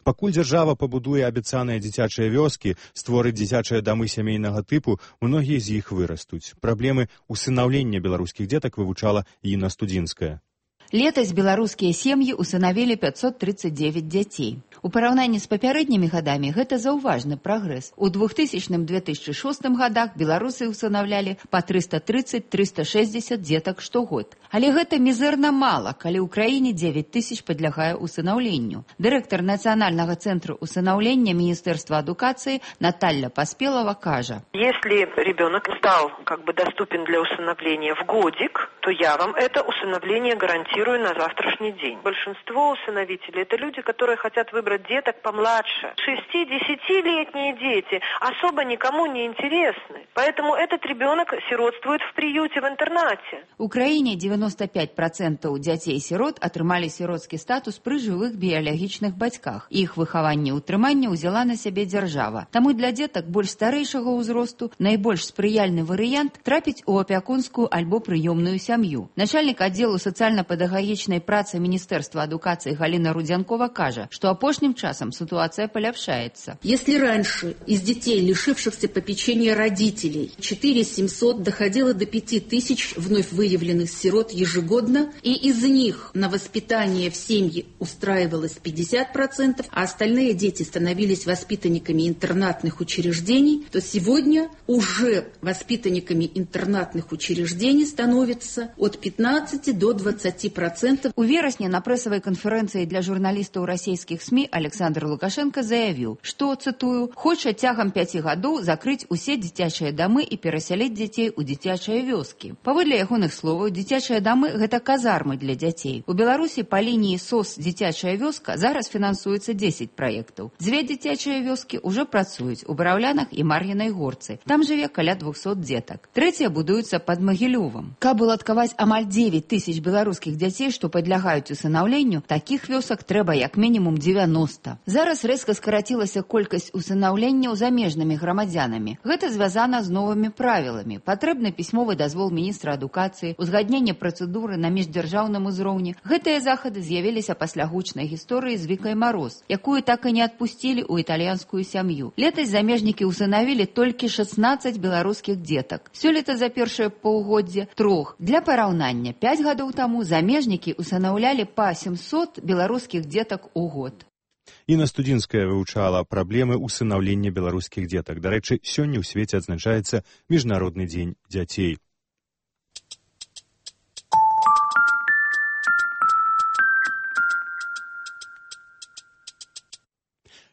Пакуль дзяржава пабудуе абяцаныя дзіцячыя вёскі, створыць дзіцячыя дамы сямейнага тыпу, многія з іх вырастуць. Праблемы усынаўлення беларускіх дзетак вывучала Інна Студзінская. Летась беларускія сем'і усынавілі 539 дзяцей. У параўнанні з папярэднімі гадамі гэта заўважны прагрэс. У 2000-2006 гадах беларусы усынаўлялі па 330-360 дзетак штогод. Але гэта мізэрна мала, калі ў краіне 9 тысяч падлягае усынаўленню. Дырэктар Нацыянальнага цэнтру усынаўлення Міністэрства адукацыі Наталья Паспелова кажа: Если ребенок стал доступен для усыновления в годик, то я вам это усыновление гарантирую на завтрашний день. Большинство усыновителей – это люди, которые хотят выбрать деток помладше. 6-10-летние дети особо никому не интересны. Поэтому этот ребенок сиротствует в приюте, в интернате. У краіне 95% дзяцей-сірот атрымалі сіротскі статус пры жывых біялагічных бацьках. Іх выхаванне і ўтрыманне ўзяла на сябе дзяржава. Таму для дзетак больш старэйшага ўзросту найбольш спрыяльны варыянт трапіць у апякунскую альбо прыёмную сям'ю. Начальнік аддзелу сацыяльна-педагагічнай працы Міністэрства адукацыі Галина Рудзянкова кажа, что апошнім часам ситуация поляпшается. Если раньше из детей, лишившихся попечения родителей, 4700 доходило до 5000 вновь выявленных сирот ежегодно, и из них на воспитание в семье устраивалось 50%, а остальные дети становились воспитанниками интернатных учреждений, то сегодня уже воспитанниками интернатных учреждений становится от 15 до 20%. У верасні на прэсавай канферэнцыі для журналістаў расійскіх СМІ Александр Лукашенко заявіў, што, цытую, хоча цягам 5 гадоў закрыць усе дзіцячыя дамы і перасяліць дзяцей у дзіцячыя вёскі. Паводле ягоных словаў, дзіцячыя дамы – гэта казармы для дзяцей. У Беларусі па лініі СОС «Дзіцячая вёска» зараз фінансуецца 10 праектаў. 2 дзіцячыя вёскі ўжо працуюць у Бараўлянах і Мар'інай Горцы. Там жыве каля 200 дзетак. 3 будуюцца пад Магілёвам. Каб уладкаваць амаль 9 тысяч беларускіх дзяцей дзяцей, што падлягаюць усынаўленню, такіх вёсак трэба як мінімум 90. Зараз рэзка скарацілася колькасць усынаўленняў замежнымі грамадзянамі. Гэта звязана з новымі правіламі. Патрэбны пісьмовы дазвол міністра адукацыі, узгадненне працэдуры на міждзяржаўным узроўні. Гэтыя захады з'явіліся пасля гучнай гісторыі з Вікай Мароз, якую так і не адпусцілі ў італьянскую сям'ю. Летась замежнікі усынавілі толькі 16 беларускіх дзетак. Сёлета за першае паўгоддзе 3. Для параўнання, 5 гадоў таму замежнікі усынаўлялі па 700 беларускіх дзетак у год. Інна Студзінская вывучала праблемы усынаўлення беларускіх дзетак. Дарэчы, сёння ў свеце адзначаецца Міжнародны дзень дзяцей.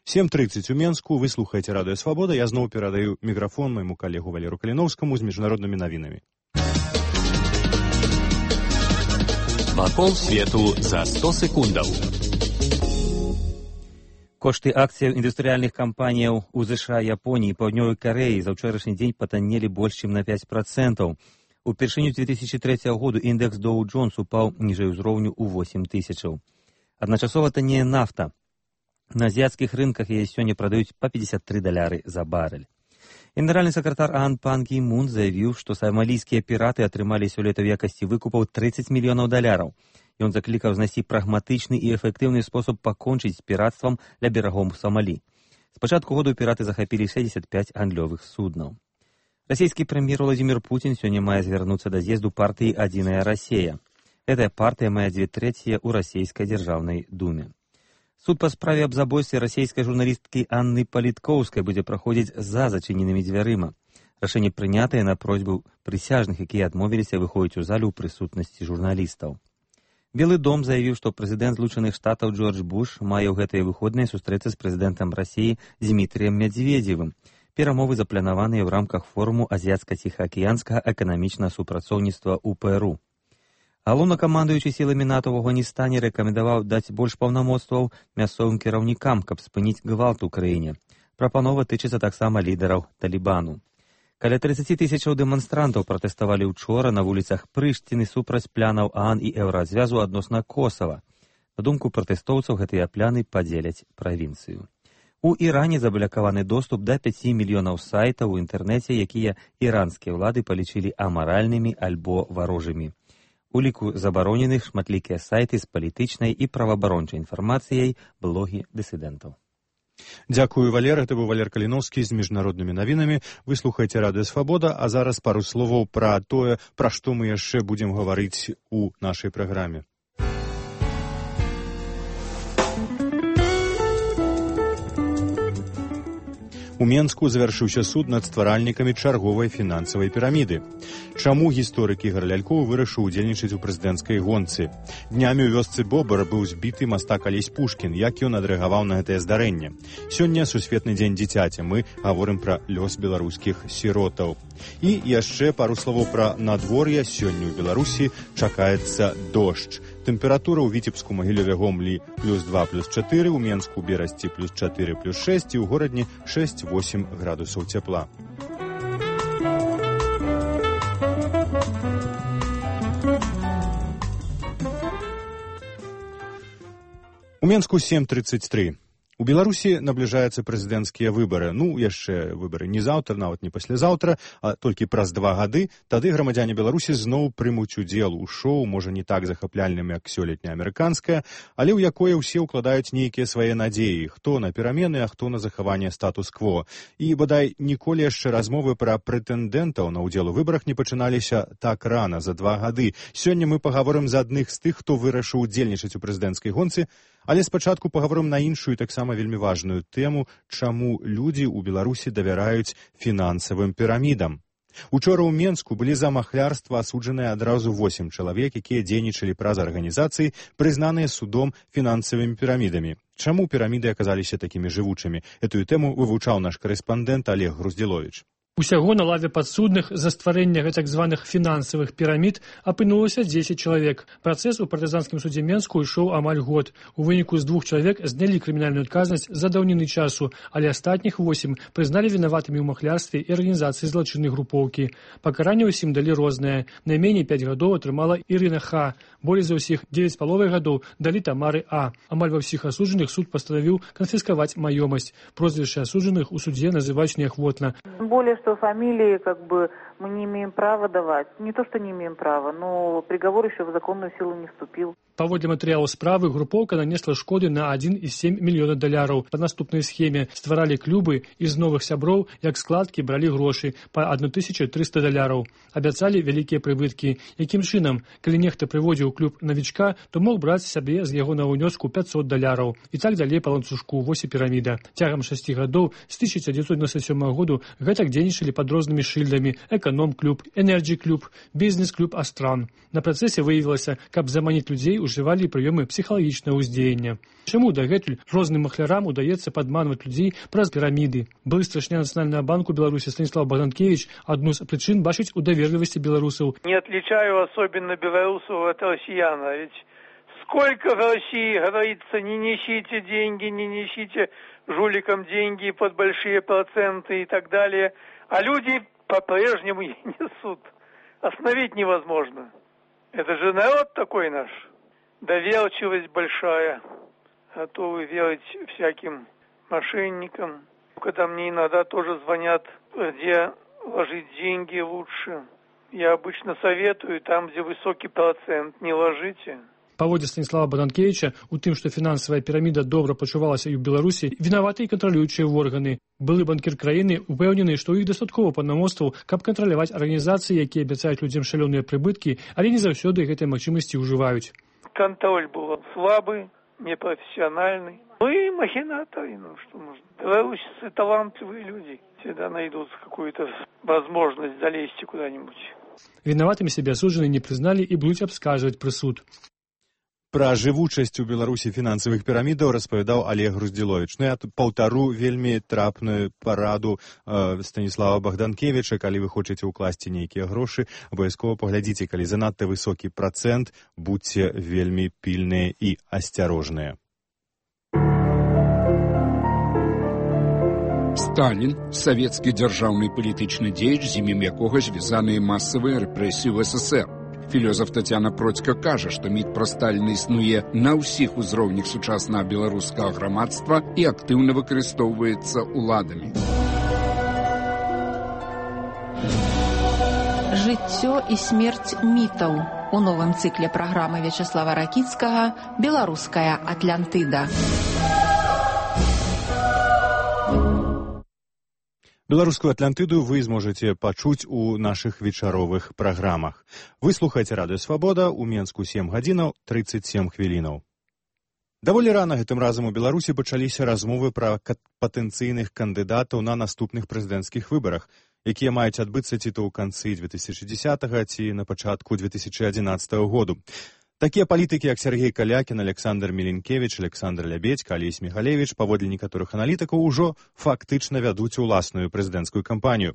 «7:30 у Менску». Вы слухаеце радыё «Свабода». Я зноў перадаю мікрафон майму калегу Валеру Каліновскаму з міжнароднымі навінамі. Вакол свету за 100 секундаў. Кошты акцыяў індустрыяльных кампаніяў у ЗША, Японіі і Паўднёвай Карэі за ўчорашні дзень патаннелі больш чым на 5%. Упершыню 2003 году індекс Dow Jones упаў ніжэй узроўню ў 8 тысячаў. Адначасова таннее нафта. На азіяцкіх рынках яе сёння прадаюць па $53 за барэль. Генеральны сакратар АОН Пан Гі Мун заявіў, што сомалійскія піраты атрымалі сёлета ў якасці выкупаў $30 мільёнаў. Ён заклікаў знайсці прагматычны і эфектыўны спосаб пакончыць з піратствам ля берагоў Сомалі. З пачатку году піраты захапілі 65 гандлёвых суднаў. Расійскі прэм'ер Владзімір Пуцін сёння мае звярнуцца да з'езду партыі «Адзіная Расія». Гэтая партыя мае 2/3 ў расійскай дзяржаўнай думе. Суд па справе аб забойстве расійскай журналісткі Анны Паліткоўскай будзе праходзіць за зачыненымі дзвярыма. Рашэнне прынятае на просьбу прысяжных, якія адмовіліся выходзіць у залю ў прысутнасці журналістаў. Белы дом заявіў, што прэзідэнт Злучаных Штатаў Джордж Буш мае ў гэтыя выходныя сустрэцца з прэзідэнтам Расіі Дзмітрыем Медведзевым. Перамовы запланаваныя ў рамках форуму азіяцка-ціхаакіянскага эканамічнага супрацоўніцтва ў ПРУ. Галоўнакамандуючы сіламі НАТО ў Афганістане рэкамендаваў даць больш паўнамоцтваў мясцовым кіраўнікам, каб спыніць гвалт у краіне. Прапанова тычыцца таксама лідараў Талібану. Каля 30 тысячаў дэманстрантаў пратэставалі ўчора на вуліцах Прыштіны супраць плянаў ААН і Еўразвязу адносна Косава. На думку пратэстоўцаў, гэтыя пляны падзеляць правінцыю. У Іране заблакаваны доступ да 5 мільёнаў сайтаў у інтэрнэце, якія іранскія ўлады палічылі амаральнымі альбо варожымі. У ліку забароненых шматлікія сайты з палітычнай і праваабарончай інфармацыяй, блогі дысідэнтаў. Дзякую, Валер. Это быў Валер Каліновскі з міжнароднымі навінамі. Вы слухаеце радыё «Свабода», а зараз пару словаў пра тое, пра што мы яшчэ будзем гаварыць у нашай праграме. У Менску завяршыўся суд над стваральнікамі чарговай фінансавай піраміды. Чаму гісторык Ігар Лялькоў вырашыў удзельнічаць у прэзідэнцкай гонцы? Днямі ў вёсцы Бобар быў збіты мастак Алесь Пушкін. Як ён адрэагаваў на гэтае здарэнне? Сёння сусветны дзень дзіцяці. Мы гаворым пра лёс беларускіх сіротаў. І яшчэ пару словаў пра надвор'е. Сёння ў Беларусі чакаецца дождж. Тэмпература ў Віцебску, Магілёве, Гомлі +2, +4, у Менску, Берасці +4, +6 і ў горадні 6-8 градусаў цяпла. У Менску 7:33. У Беларусі набліжаюцца прэзідэнцкія выбары. Яшчэ выбары не заўтра, нават не паслязаўтра, а толькі праз 2 гады. Тады грамадзяне Беларусі зноў прымуць удзел у шоу, можа не так захапляльным, як сёлетняе амерыканскае, але ў якое ўсе ўкладаюць нейкія свае надзеі, хто на перамены, а хто на захаванне статус-кво. І, бадай, ніколі яшчэ размовы пра прэтэндэнтаў на ўдзел у выбарах не пачыналіся так рана, за 2 гады. Сёння мы пагаворым за адных з тых, хто вырашыў удзельнічаць у прэзідэнцкай гонцы, але спачатку пагаворым на іншую, таксама вельмі важную тэму, чаму людзі ў Беларусі давяраюць фінансавым пірамідам. Учора ў Менску былі за махлярства асуджаныя адразу 8 чалавек, якія дзейнічалі праз арганізацыі, прызнаныя судом фінансавымі пірамідамі. Чаму піраміды аказаліся такімі жывучымі? Этую тэму вывучаў наш карэспандэнт Олег Груздзіловіч. Усяго на лаве падсудных за стварэнне так званых фінансавых пірамід апынулася 10 чалавек. Працэс у партызанскім судзе Менску ішоў амаль год. У выніку з 2 чалавек знялі крымінальную адказнасць за даўніны часу, але астатніх 8 прызналі вінаватымі ў махлярстве і арганізацыі злачыннай групоўкі. Пакаранне ўсім далі рознае. Найменей 5 гадоў атрымала Ірына Х. Болей за ўсіх 9,5 гадоў далі Тамары А. Амаль ва ўсіх асуджаных суд пастанавіў канфіскаваць маёмасць. Прозвішчы асуджаных у суде называюць неахвотна. Фамилии мы не имеем права давать. Не то, что не имеем права, но приговор еще в законную силу не вступил. Паводле матэрыялаў справы, групоўка нанесла шкоды на $1,7 мільёна. Па наступнай схеме стваралі клубы з новых сяброў, як складкі бралі грошы па $1,300. Абяцалі вялікія прыбыткі. Якім чынам, калі нехта прыводзіў клуб навічка, то мог браць сабе з яго на ўнёску $500. І так далей па ланцужку, вось і піраміда. Цягам 6 гадоў з 1997 году гэтак дзейнічалі пад рознымі шыльдамі эканом-клуб, энерджі-клуб, бізнес-клуб Астран. На працэсе выявілася, каб заманіць людзей, ужывалі прыёмы псіхалагічнага ўздзеяння. Чаму дагэтуль розным махлярам удаецца падманваць людзей праз піраміды? Былы старшыня Нацыянальнага банку Беларусі Станіслав Богданкевич адну з прычын бачыць у даверлівасці беларусаў. Не отличаю особенно белорусов от россиян, ведь сколько в России говорится, не несите деньги, не несите жуликам деньги под большие проценты и так далее, а люди по-прежнему и несут. Остановить невозможно. Это же народ такой наш. Доверчивость большая. Готовы верить всяким мошенникам. Когда мне иногда тоже звонят, где ложить деньги лучше. Я обычно советую, там, где высокий процент, не ложите. Паводле Станіслава Богданкевича, у тым, што фінансавая піраміда добра пачувалася і ў Беларусі, вінаваты і кантралюючыя органы. Былы банкір краіны упэўнены, што ў іх дастаткова паўнамоцтваў, каб кантраляваць арганізацыі, якія абяцаюць людзям шалёныя прыбыткі, але не заўсёды гэтай магчымасці ўжываюць. Контроль был слабый, непрофессиональный. Ну и махинаторы, что можно. Белорусы талантливые люди. Всегда найдут какую-то возможность залезть куда-нибудь. Вінаватымі сябе асуджаныя не прызналі і будуць абскарджваць прысуд. Пра жывучасць у Беларусі фінансавых пірамідаў распавядаў Олег Груздзіловіч. Я паўтару вельмі трапную параду Станіслава Богданкевича. Калі вы хочаце ўкласці нейкія грошы, абавязкова паглядзіце, калі занадта высокі працэнт, будьце вельмі пільныя і асцярожныя. Сталін, савецкі дзяржаўны палітычны дзеяч, з імем якога звязаныя масавыя рэпрэсіі ў СССР. Філёзаф Тацяна Процька кажа, што міт пра Сталіна існуе на ўсіх узроўнях сучаснага беларускага грамадства і актыўна выкарыстоўваецца ўладамі. Жыццё і смерць мітаў у новым цыкле праграмы Вячаслава Ракіцкага «Беларуская Атлантыда». Беларускую Атлантыду вы зможаце пачуць у нашых вечаровых праграмах. Вы слухаеце Радыё Свабода, у Менску 7 гадзінаў 37 хвілінаў. Даволі рана гэтым разам у Беларусі пачаліся размовы пра патэнцыйных кандыдатаў на наступных прэзідэнцкіх выбарах, якія маюць адбыцца ці то ў канцы 2010-га, ці на пачатку 2011 году. Такія палітыкі, як Сергей Калякін, Александр Міленкевіч, Александр Лябедзька, Алесь Міхалевіч, паводле некаторых аналітыкаў, ужо фактычна вядуць уласную прэзідэнцкую кампанію.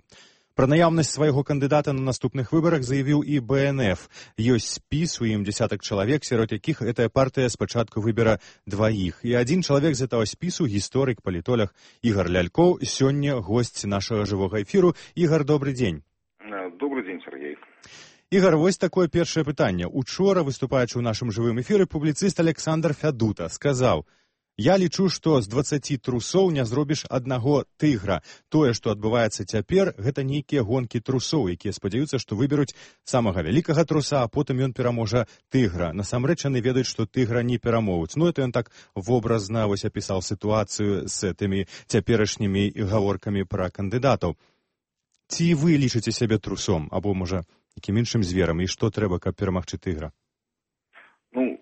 Пра наяўнасць свайго кандыдата на наступных выбарах заявіў і БНФ. Ёсць спіс, у ім дзясятак чалавек, сярод якіх гэтая партыя спачатку выбера дваіх. І адзін чалавек з гэтага спісу, гісторык, палітолог Ігар Лялькоў, сёння госць нашага жывога эфіру. Ігар, добры дзень. Добрый день, Сергей. Ігар, вось такое першае пытанне. Учора, выступаючы ў нашым жывым эфіры, публіцыст Александр Фядута сказаў: «Я лічу, што з 20 трусоў не зробіш аднаго тыгра. Тое, што адбываецца цяпер, гэта нейкія гонкі трусоў, якія спадзяюцца, што выберуць самага вялікага труса, а потым ён пераможа тыгра. Насамрэч яны ведаюць, што тыгра не перамогуць». Ну, это ён так вобразна вось апісаў сітуацыю з гэтымі цяперашнімі гаворкамі пра кандыдатаў. Ці вы лічыце сябе трусом, або, можа, якім іншым зверам, і што трэба, каб перамагчы тыгра? Ну,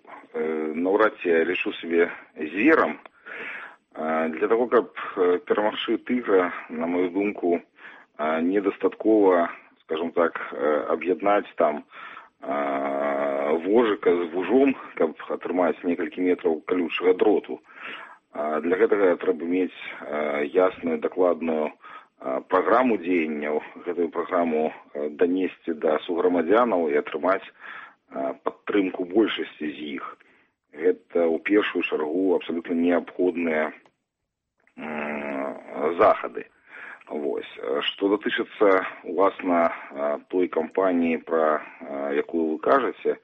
наўрад ці я лічу сябе зверам. Для того, каб перамагчы тыгра, на мою думку, недастаткова, скажем так, аб'яднаць там вожыка з вужом, каб атрымаць некалькі метраў калючага дроту. Для гэтага трэба мець ясную, дакладную праграму дзеянняў, гэтую праграму данесці да суграмадзянаў і атрымаць падтрымку большасці з іх. Гэта ў першую чаргу абсалютна неабходныя захады. Што датычыцца, уласна, той кампаніі, пра якую вы кажаце,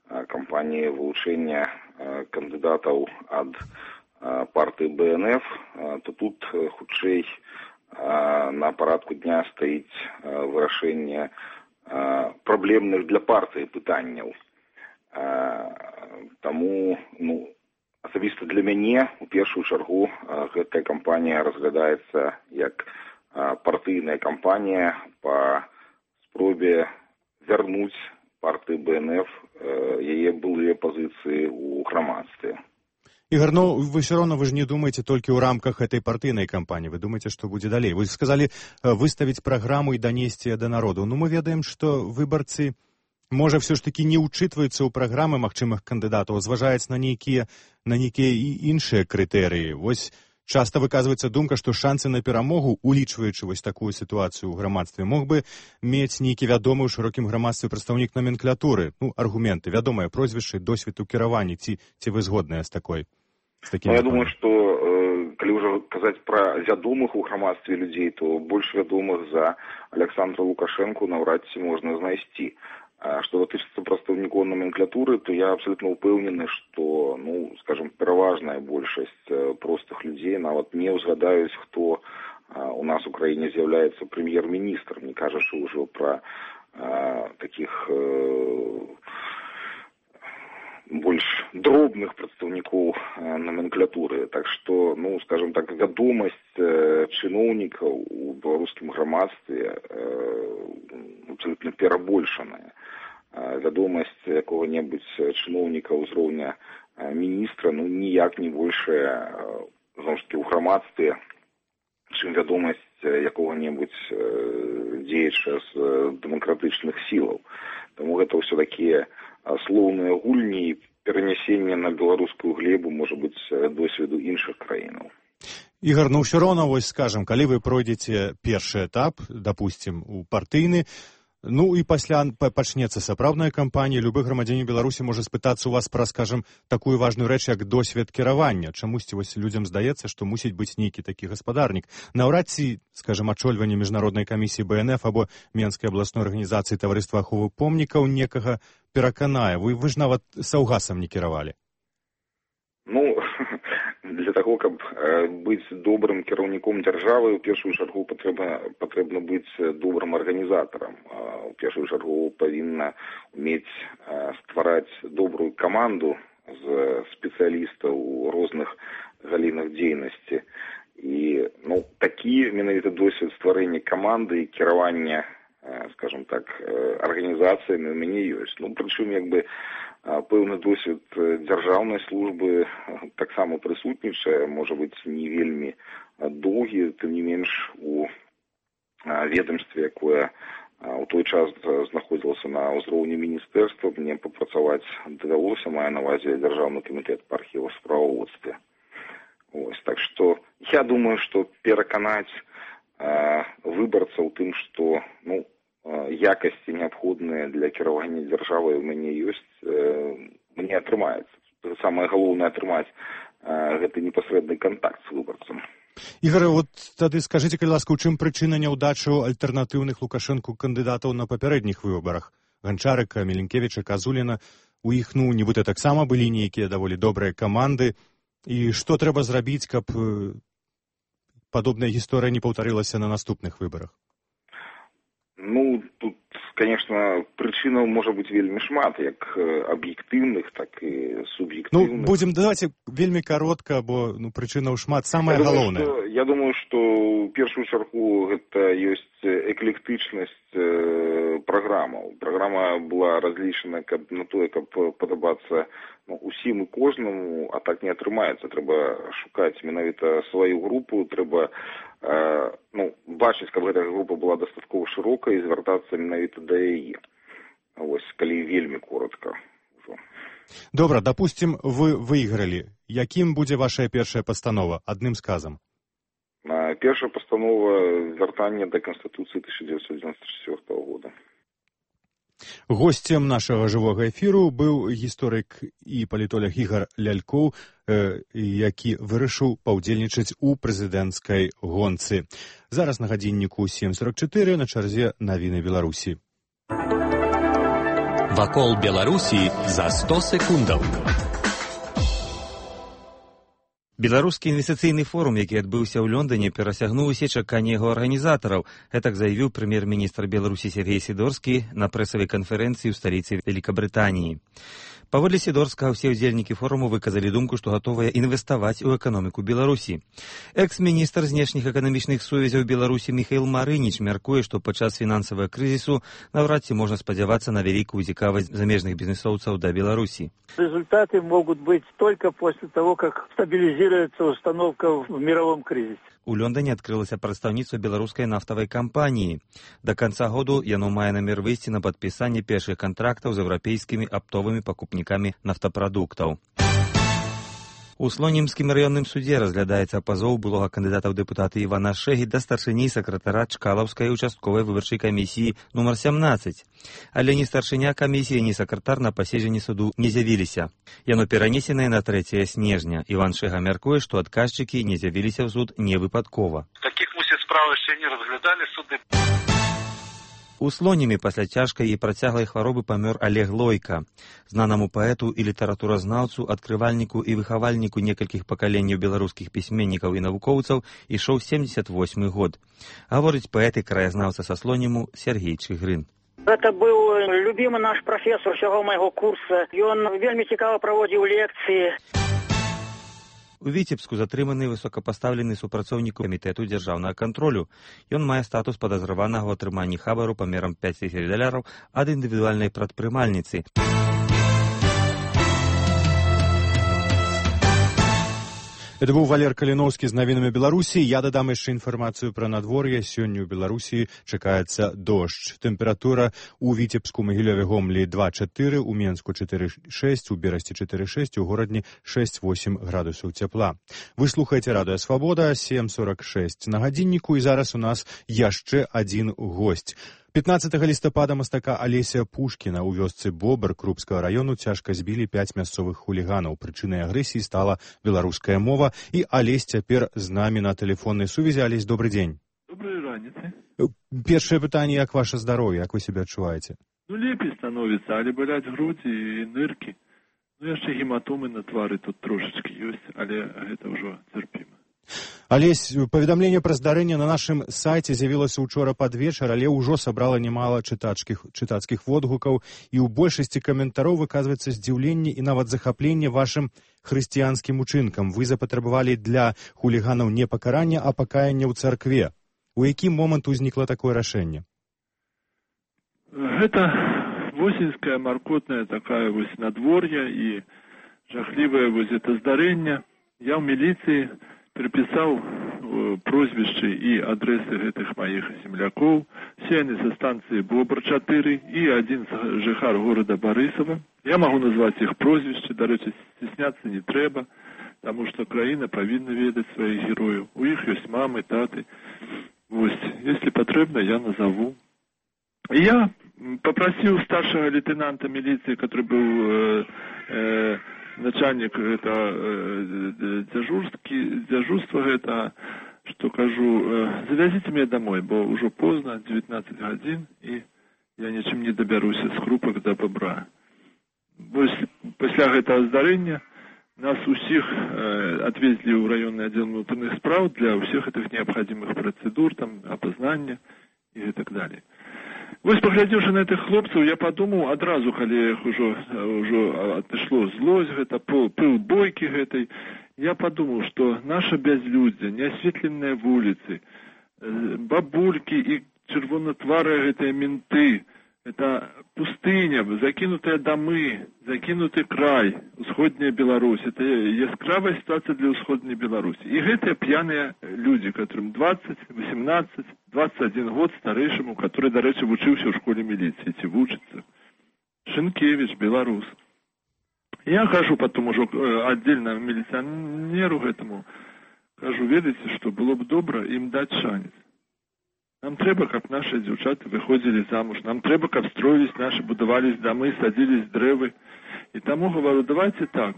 кампаніі вылучэння кандыдатаў ад партыі БНФ, то тут хутчэй на парадку дня стаіць вырашэнне праблемных для партыі пытанняў. Таму, асабіста для мяне, у першую чаргу, гэтая кампанія разглядаецца як партыйная кампанія па спробе вярнуць партыі БНФ яе былыя пазіцыі ў грамадстве. Ігор, вы все равно, вы же не думаете только в рамках этой партийной кампании, вы думаете, что будет далее. Вы сказали выставить программу и донести до народу. Но мы ведаем, что выборцы, может, все ж таки не учитываются у программы магчымых кандидатов, зважаюць на нейкія іншыя крытэрыі. Вось часто выказваецца думка, што шансы на перамогу, улічваючы вось такую сітуацыю ў грамадстве, мог бы мець нейкі вядомы ў шырокім грамадстве прадстаўнік номенклатуры, аргументы, вядомыя прозвішчы, досвед у кіраванні, ці вы згодныя з такой? Я думаю, што калі ўжо казаць пра вядомых у грамадстве людзей, то больш вядомых за Александра Лукашэнку наўрад ці можна знайсці. Што датычыцца прадстаўнікоў номенклатуры, то я абсалютна ўпэўнены, што, скажем, пераважная большасць простых людзей нават не ўзгадаюць, хто у нас у краіне з'яўляецца прэм'ер-міністрам, не кажучы ўжо пра такіх больш дробных прадстаўнікоў номенклатуры. Так што, скажем так, вядомасць чыноўнікаў у беларускім грамадстве абсалютна перабольшаная. Вядомасць якога-небудзь чыноўніка ўзроўня міністра, ніяк не большая, зноў ж такі, ў грамадстве, чым вядомасць якога-небудзь дзеяча з дэмакратычных сілаў. Таму гэта ўсё такія слоўныя гульні і перанясенне на беларускую глебу, можа быць, досведу іншых краінаў. Ігор, ўсё роўна, вось скажам, калі вы пройдзеце першы этап, дапусцім, у партыйны, і пасля пачнецца сапраўдная кампанія, любы грамадзянін Беларусі можа спытацца у вас пра, скажам, такую важную рэч, як досвед кіравання. Чамусьці вось людзям здаецца, што мусіць быць нейкі такі гаспадарнік. Наўрад ці, скажам, ачольванне міжнароднай камісіі БНФ або Менскай абласной арганізацыі таварыства аховы помнікаў некага пераканае. Вы ж нават саўгасам не кіравалі. Для таго, каб быць добрым кіраўніком дзяржавы, у першую чаргу патрэбна быць добрым арганізатарам. У першую чаргу павінна умець ствараць добрую каманду з спецыялістаў у розных галінах дзейнасці. І такі менавіта досвед стварэння каманды і кіравання, скажем так, арганізацыямі у мяне ёсць. Прычым, пэўны досвед дзяржаўнай службы таксама прысутнічае, можа быць, не вельмі доўгі, тым не менш у ведамстве, якое у той час знаходзілася на ўзроўні міністэрства, мне папрацаваць давялося, мае на ўвазе Дзяржаўны камітэт па архівасправаводстве. Так што я думаю, што пераканаць выбарцаў тым, што якасці неабходныя для кіравання дзяржавай у мяне ёсць, мне атрымаецца. Самае галоўнае атрымаць гэты непасрэдны кантакт з выбарцам. Ігор, тады скажыце, калі ласка, у чым прычына няўдачы альтэрнатыўных Лукашэнку кандыдатаў на папярэдніх выбарах? Ганчарыка, Міленкевіча, Казуліна, у іх, нібыта таксама былі нейкія даволі добрыя каманды. І што трэба зрабіць, каб падобная гісторыя не паўтарылася на наступных выбарах? Тут, конечно, прычынаў можа быць вельмі шмат, як аб'ектыўных, так і суб'ектыўных. Давайте вельмі каротка, бо прычынаў шмат. Самае галоўнае. Я думаю, што ў першую чаргу гэта ёсць эклектычнасць праграмаў. Праграма была разлічана на тое, каб падабацца усім і кожнаму, а так не атрымаецца. Трэба шукаць менавіта сваю групу, трэба бачыць, каб гэтая група была дастаткова шырокая і звяртацца менавіта да яе. Калі вельмі коротка. Добра, дапусцім, вы выйгралі. Якім будзе ваша першая пастанова? Адным сказам. Першая постанова вяртання да Конституцыі 1994 года. Гостем нашага жывога эфіру быў гісторык і палітолог Ігор Лялькоў, які вырашыў паўдзельнічаць у прэзідэнцкай гонцы. Зараз на гадзінніку 7:44, на чарзе навіны Беларусі. Вакол Беларусі за 100 секундаў. Беларускі інвестыцыйны форум, які адбыўся ў Лондоне, перасягнуў усе чаканні яго арганізатараў. Гэтак заявіў прэм'ер-міністр Беларусі Сергей Сідорскі на прэсавай канферэнцыі ў сталіцы Великабрытаніі. Паводле Сідорскага, усе ўдзельнікі форуму выказалі думку, што гатовыя інвеставаць у эканоміку Беларусі. Экс-міністр знешніх эканамічных сувязяў Беларусі Міхаіл Марыніч мяркуе, што падчас фінансавага крызісу наўрад ці можна спадзявацца на вялікую цікавасць замежных бізнесоўцаў да Беларусі. Результаты могут быть только после того, как стабилизируется установка в мировом кризисе. У Лондоне адкрылася прадстаўніцтва беларускай нафтавай кампаніі. Да канца году яно мае намер выйсці на падпісанне першых кантрактаў з еўрапейскімі аптовымі пакупнікамі нафтапрадуктаў. У Слонімскім раённым судзе разглядаецца пазоў былога кандыдата ў дэпутаты Івана Шэгі да старшыні сакратара Чкалаўскай участковай выбарчай камісіі нумар 17. Але ні старшыня камісіі, ні сакратар на паседжанні суду не з'явіліся. Яно перанесенае на 3 снежня. Іван Шэга мяркуе, што адказчыкі не з'явіліся ў суд не выпадкова. Такіх, мусіць, справ яшчэ не разглядалі суды. У Слонімі пасля цяжкай і працяглай хваробы памёр Олег Лойка. Знанаму паэту і літаратуразнаўцу, адкрывальніку і выхавальніку некалькіх пакаленняў беларускіх пісьменнікаў і навукоўцаў ішоў 78 год. Гаворыць паэт і краязнаўца са Слоніму Сергей Чыгрын. Это был любимый наш профессор всего моего курса. Ён вельмі цікава праводзіў лекцыі. У Віцебску затрыманы высокапастаўлены супрацоўнік камітэту дзяржаўнага кантролю. Ён мае статус падазраванага ў атрыманні хабару памерам $5000 ад індывідуальнай прадпрымальніцы. Это быў Валер Каліноўскі з навінамі Беларусі. Я дадам яшчэ інфармацыю пра надвор'е. Сёння ў Беларусі чакаецца дождж. Тэмпература ў Віцебску, Магілёве, Гомлі 2-4, у Менску 4-6, у Берасці 4-6, у Горадні 6-8 градусаў цяпла. Вы слухаеце Радыё Свабода, 7:46 на гадзінніку, і зараз у нас яшчэ адзін госць. 15 лістапада мастака Алеся Пушкіна ў вёсцы Бобр Крупскага раёну цяжка збілі 5 мясцовых хуліганаў. Прычынай агрэсіі стала беларуская мова, і Алесь цяпер з намі на тэлефоннай сувязі. Алесь, добрый дзень. Доброй раніцы. Першае пытанне, як ваше здароўе, як вы сябе адчуваеце? Лепей становіцца, але баляць грудзі і ныркі. Яшчэ гематомы на твары тут трошачкі ёсць, але гэта ўжо цярпіма. Алесь, паведамленне пра здарэнне на нашым сайце з'явілася ўчора пад вечар, але ўжо сабрала немала чытацкіх водгукаў, і ў большасці каментароў выказваецца здзіўленне і нават захапленне вашым хрысціянскім учынкам. Вы запатрабавалі для хуліганаў не пакарання, а пакаяння ў царкве. У які момант узнікла такое рашэнне? Гэта восеньская маркотная такая вось надвор'я і жахлівае вось это здарэнне. Я ў міліцыі переписал прозвішчы і адрэсы гэтых маіх землякоў, сеяны са станцыі Бобр-4 і адзін жыхар горада Барысава. Я магу назваць іх прозвішчы, дарэчы, стесняцца не трэба, таму што краіна павінна ведаць сваіх герояў. У іх ёсць мамы, таты. Вось, если патрэбна, я назову. І я попросил старшего лейтенанта милиции, который был начальник дежурства гэта, что кажу, завязите меня домой, бо уже поздно, 19 гадзін, и я ничем не доберусь с Крупок до Бобра. Пасля гэтага здарэння нас усіх отвезли в районный отдел внутренних справ для всех этих необходимых процедур, там, опознания и так далее. Вось, паглядзеўшы на этих хлопцаў, я падумаў адразу, калі іх ужо адышло злосць, гэта пыл бойкі гэтай, я падумаў, што наша бязлюддзе, неасветленыя вуліцы, бабулькі і чырвонатварыя гэтыя менты, это пустыня, закінутыя дамы, закінуты край, усходняя Беларусь. Это яскравая ситуация для усходняй Беларуси. И гэтыя пьяные люди, которым 20, 18, 21 год старейшему, который, до речи, вучыўся ў школе милиции, ці вучыцца. Шынкевич, белорус. Я хожу потом уже отдельно милиционеру этому, Кажу, верите, что было бы добро им дать шанец. Нам трэба, каб наши дзяўчаты выходзілі замуж. Нам трэба, каб строились наши, будавались домы, садились дрэвы. И тому говорю, давайте так.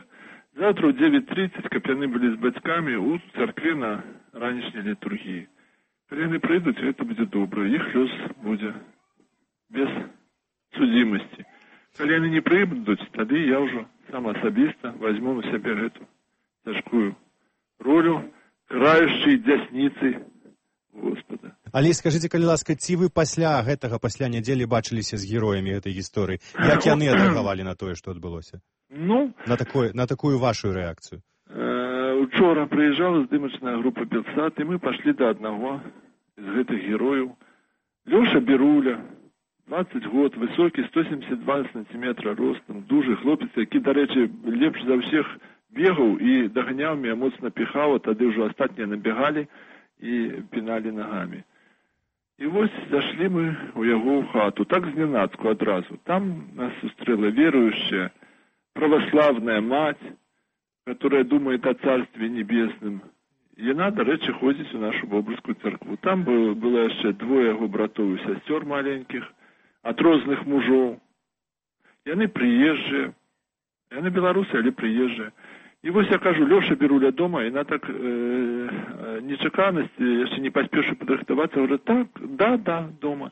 Завтра в 9:30, каб яны были с бацьками у церкве на ранешняй літургіі. Калі яны прыйдуць, гэта будзе добра. Іх лёс будзе без судзімасці. Калі яны не прыйдуць, тады я ўжо сам асабіста возьму на сябе гэту цяжкую ролю краючай дзясніцы Господа. Але скажыце, калі ласка, ці вы пасля нядзелі бачыліся з героямі гэтай гісторыі? Як яны адрэагавалі на тое, што адбылося? Ну, на такую вашу рэакцыю? Учора прыязджала здымачная група Белсат, і мы пашлі да аднаго з гэтых герояў. Лёша Беруля, 20 год, высокі, 172 сантиметра ростам, дужы хлопец, які, дарэчы, лепш за ўсіх бегаў і даганяў меня, моцна піхаў, а тады ўжо астатнія набегалі і піналі нагамі. І вось зашлі мы у яго ў хату, так зненацку адразу. Там нас сустрэла верующая православная мать, которая думает о Царстве Небесным. Яна, дарэчы, ходзіць у нашу Бобрскую церкву. Там было яшчэ двое яго братоў і сясцёр маленькіх, ад розных мужоў. Яны прыезджыя, яны беларусы, але прыезджыя. І вось я кажу, Лёша Беруля дома, і на так нечаканасці, яшчэ не паспеўшы падрыхтавацца, говорю, так, да, дома.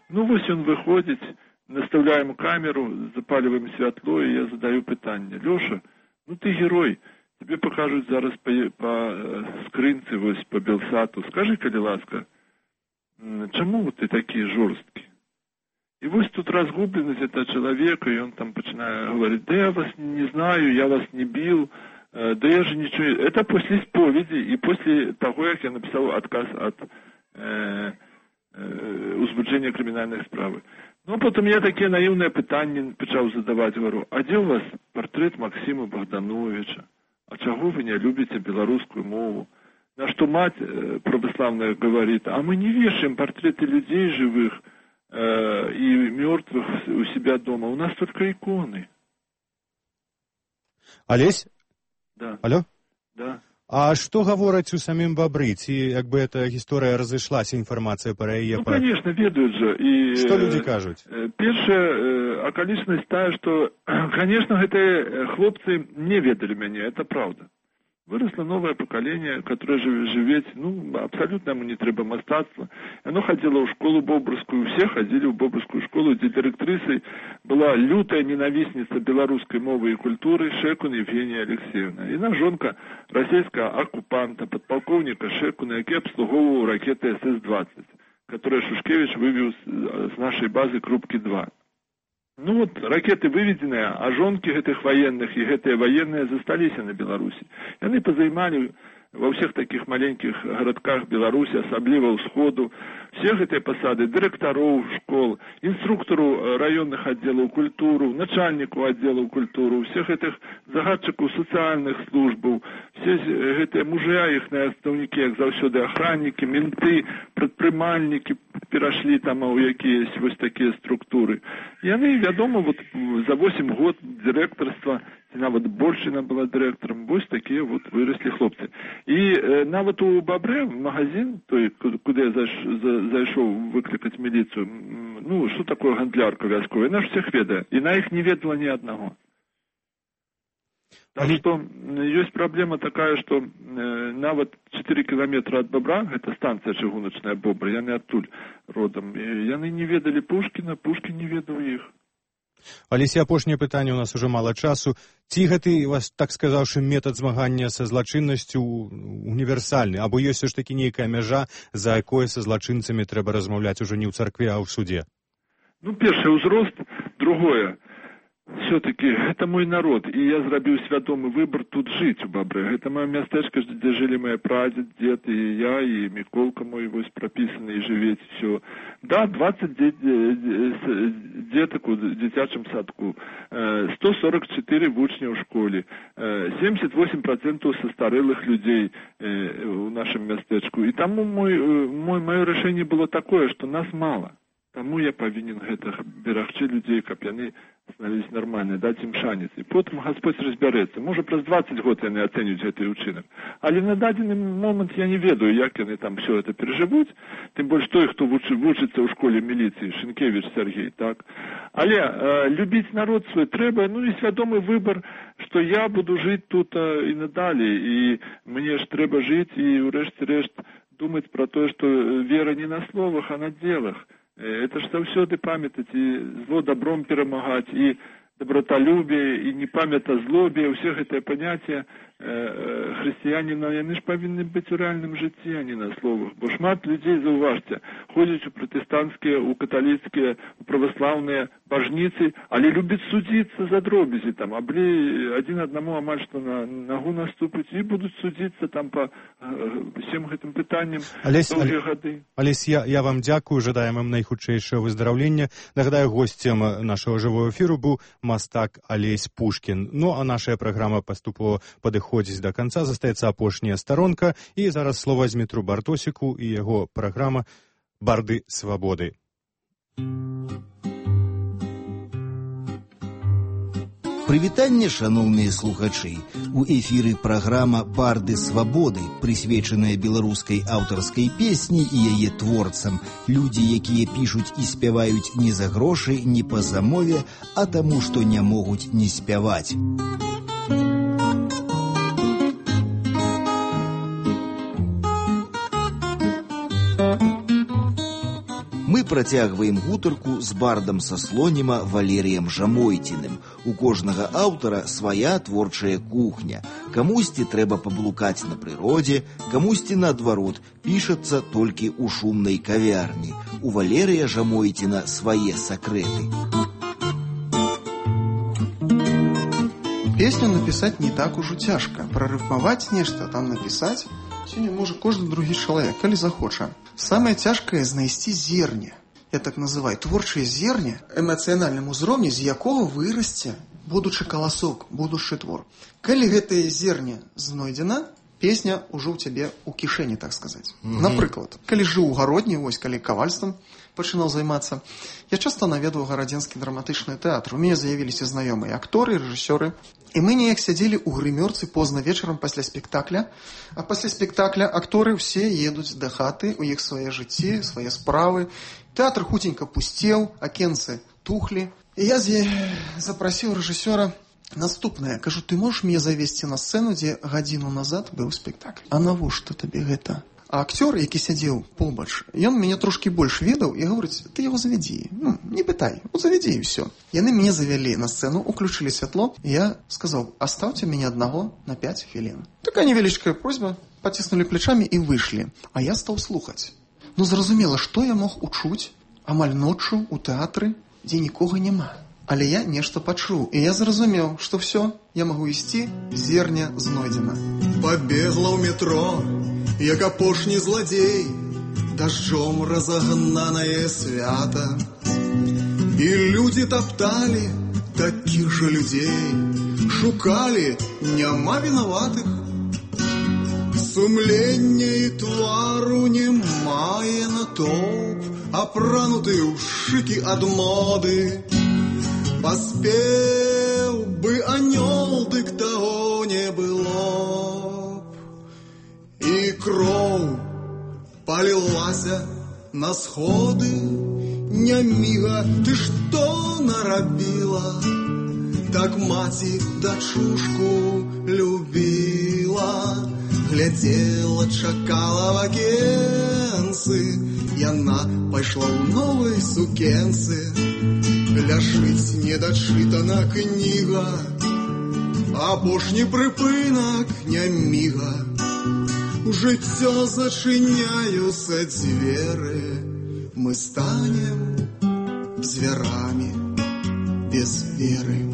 Ну вось ён выходзіць, наставляем камеру, запаливаем святло, і я задаю пытанне. Лёша, ну ты герой, тебе покажут зараз по скрынцы, вось по Белсату. Скажи, калі ласка, чаму ты такі жорсткі? И вот тут разгубленность этого человека, и он там начинает говорить, да я вас не знаю, я вас не бил, да я же ничего... Это после исповеди и после того, как я написал отказ от узбуджения криминальной справы. Ну, потом я такие наивные пытания начал задавать, говорю, а где у вас портрет Максима Богдановича? А чего вы не любите белорусскую мову? На что мать православная говорит, а мы не вешаем портреты людей живых, и мертвых у себя дома. У нас только иконы. Олесь? Да. Алло? Да. А што гавораць у самім бабры? Ці як бы эта гісторыя разышлася, інфармацыя пра яе? Ну, конечно, ведаюць жа. І, што людзі кажуць? Першая акалічнасць тая, што, конечно, гэтыя хлопцы не ведалі мяне, это правда. Выросло новое поколение, которое живет, абсолютно ему не треба мастацтва. Оно ходило в школу Бобрскую, все ходили в Бобрскую школу, где директрисой была лютая ненавистница белорусской мовы и культуры Шекун Евгения Алексеевна. И жонка российского оккупанта, подполковника Шекуна, який обслуговывал ракеты СС-20, которые Шушкевич вывел с нашей базы Крупки-2. Ну вот, ракеты выведенные, а жонки этих военных и гэтые военные застались на Беларуси. И они позаймали во всех таких маленьких городках Беларуси, особливо усходу, всех этой посады, директоров школ, инструктору районных отделов культуры, начальнику отделов культуры, всех этих загадчиков социальных служб, все эти мужья, их наставники, как завсёды охранники, менты, предпринимальники перешли там у якісь вот такие структуры. И они, вядома, вот за 8 год директорства, нават Борщина была директором, вот такие вот выросли хлопцы. И нават у Бабры магазин, той, куда я зайшов выкликать милицию, что такое гандлярка вязковая, она ж всех ведает, и на их не ведала ни одного. Так что есть проблема такая, что нават 4 километра от Бобра, это станция чыгуначная Бобра, яны оттуль родом, и яны не ведали Пушкина, Пушкин не ведал их. Алеся, апошняе пытанне, у нас уже мало часу. Ці гэты, вас так сказаўшы, метад змагання са злачыннасцю універсальны, або ёсць все ж таки нейкая мяжа, за якой са злачынцамі трэба размаўляць уже не ў царкве, а ў суде? Перший узрост, другое. Все-таки это мой народ, и я зрабіў свядомы выбор тут жить у Бабры. Это мое местечко, где жили мои прадед, дед, и я, и Миколка мой вось прописаны, и живеть, все. Да, 20 деток у дзіцячым садку, 144 вучня ў школе, 78% состарелых людей у нашем местечку. И тому мое решение было такое, что нас мало. Таму я павінен гэтых берагчы людзей, каб яны становились нормальныя, даць ім шанец. І потым Гасподзь разбярэцца. Можа, праз 20 год яны ацэнюць гэты ўчынак. Але на дадзены момант я не ведаю, як яны там все это перажывуць. Тым больш той, хто вучыцца ў школе міліцыі, Шынкевіч Сергей, так. Але любіць народ свой трэба, ну і свядомы выбар, што я буду жыць тут і надалей, і мне ж трэба жыць і ўрэшце-рэшт думаць пра тое, што вера не на словах, а на делах. Это ж заўсёды памятаць і зло добром перамагаць, і доброталюбие, і не памята злобе, усе гэтыя паняцці хрысціяніна, яны ж павінны быць у рэальным жыцці, а не на словах. Бо шмат людзей, заўважце, ходзяць у пратэстанцкія, у каталіцкія, у праваслаўныя бажніцы, але любяць судзіцца за дробязі, там, аблі адзін аднаму амаль што на нагу наступаць і будуць судзіцца там па всем гэтым пытанням доўгія гады. Алесь, я вам дзякую, жадаем вам найхутчэйшае выздараўлення. Нагадаю, госцем нашего жывого эфіру быў мастак Алесь Пушкін. Ну, а наша праграма паступова падыходзіць до конца, застаецца апошняя старонка, і зараз слова Змітру Бартосіку і яго праграма «Барды свабоды». Прывітанне, шаноўныя слухачы. У эфіры праграма «Барды свабоды», прысвечаная беларускай аўтарскай песні і яе творцам. Людзі, якія пішуць і спяваюць не за грошы, не па замове, а таму, што не могуць не спяваць. Мы працягваем гутарку з бардам са Слоніма Валерыем Жамойціным. У кожнага аўтара свая творчая кухня. Камусьці трэба паблукаць на прыродзе, камусьці, наадварот, пішацца толькі ў шумнай кавярні. У Валерыя Жамойціна свае сакрэты. Песню напісаць не так ужо цяжка. Прарыфмаваць нешта, там напісаць сёння можа кожны другі чалавек, калі захоча. Самае цяжкае знайсці зерне. Я так называю творчае зерне, эмацыянальным узроўні, з якога вырасце будучы каласок, будучы твор. Калі гэтае зерне знойдзена, песня ўжо ў цябе ў кішэні, так сказаць. Напрыклад, калі жыў у гародні, вось калі кавальствам пачынаў займацца, я часта наведваў гарадзенскі драматычны тэатр. У мяне з'явіліся знаёмыя акторы, рэжысёры. І мы неяк сядзелі ў грымёрцы позна вечарам пасля спектакля, а пасля спектакля акторы ўсе едуць да хаты, у іх свае жыцці, свае справы. Тэатр хутенька пусцеў, акенцы тухлі. І я запрасіў рэжысёра наступнае. Кажу, ты можаш мне завесці на сцэну, дзе гадзіну назад быў спектакль? А навошта табе гэта? А актёр, які сядзеў побач, ён мяне трошкі больш ведаў і гаворыць, ты яго завядзі. Не пытай, завядзі і ўсё. Яны мяне завялі на сцэну, уключылі святло, і я сказаў, аставце мяне аднаго на 5 хвілін. Такая невялічкая просьба, паціснулі плечамі і выйшлі. А я стаў слухаць. Зразумела, што я мог учуць амаль ноччу ў тэатры, дзе нікога няма. Але я нешта пачуў, і я зразумеў, што ўсё, я магу ісці, зерня знойдзена. Пабегла ў метро, як апошні зладзей, дажджом разагнанае свята. І людзі тапталі такіх жа людзей, шукалі, няма вінаватых. Сумлення і твару не мае натоўп, апрануты ў шыкі ад моды. Паспеў бы анёл, дык таго не было б. І кроў палілася на сходы, няміга, ты што нарабіла? Так маці дачушку любіла, глядзела, чакала в акенцы, яна пайшла ў новай сукенцы. Ляжыць недачытана кніга, апошні прыпынак няміга. У жыццё зачыняюцца дзверы, мы станем зверамі без веры.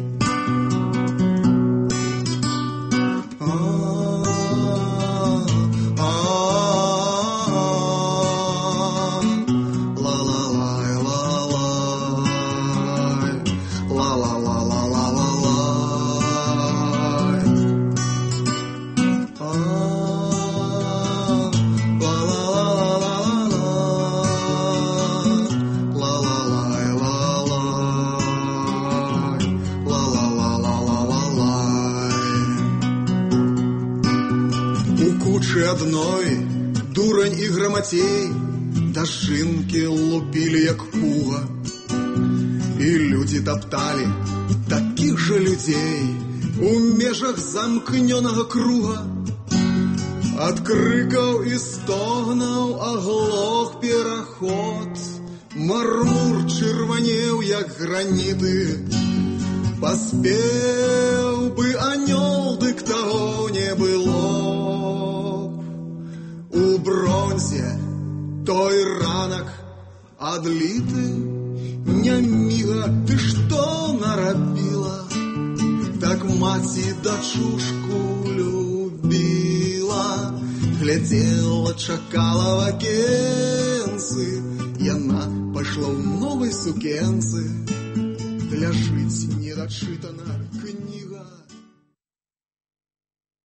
La la У кучы адной дурань і грамацей дажынкі лупілі як пуга. І людзі тапталі такіх жа людзей у межах замкнёнага круга. Ад крыкаў і стогнаў аглох пераход, мармур чырванеў як граніты. Паспеў бы анёл, дык таго не было. У бронзе той ранак адліты, няміга, ты што нарабіла? Так маці дачушку любіла, глядзела, чакала в акенцы, яна пайшла ў новай сукенцы. Ляжыць недачытана.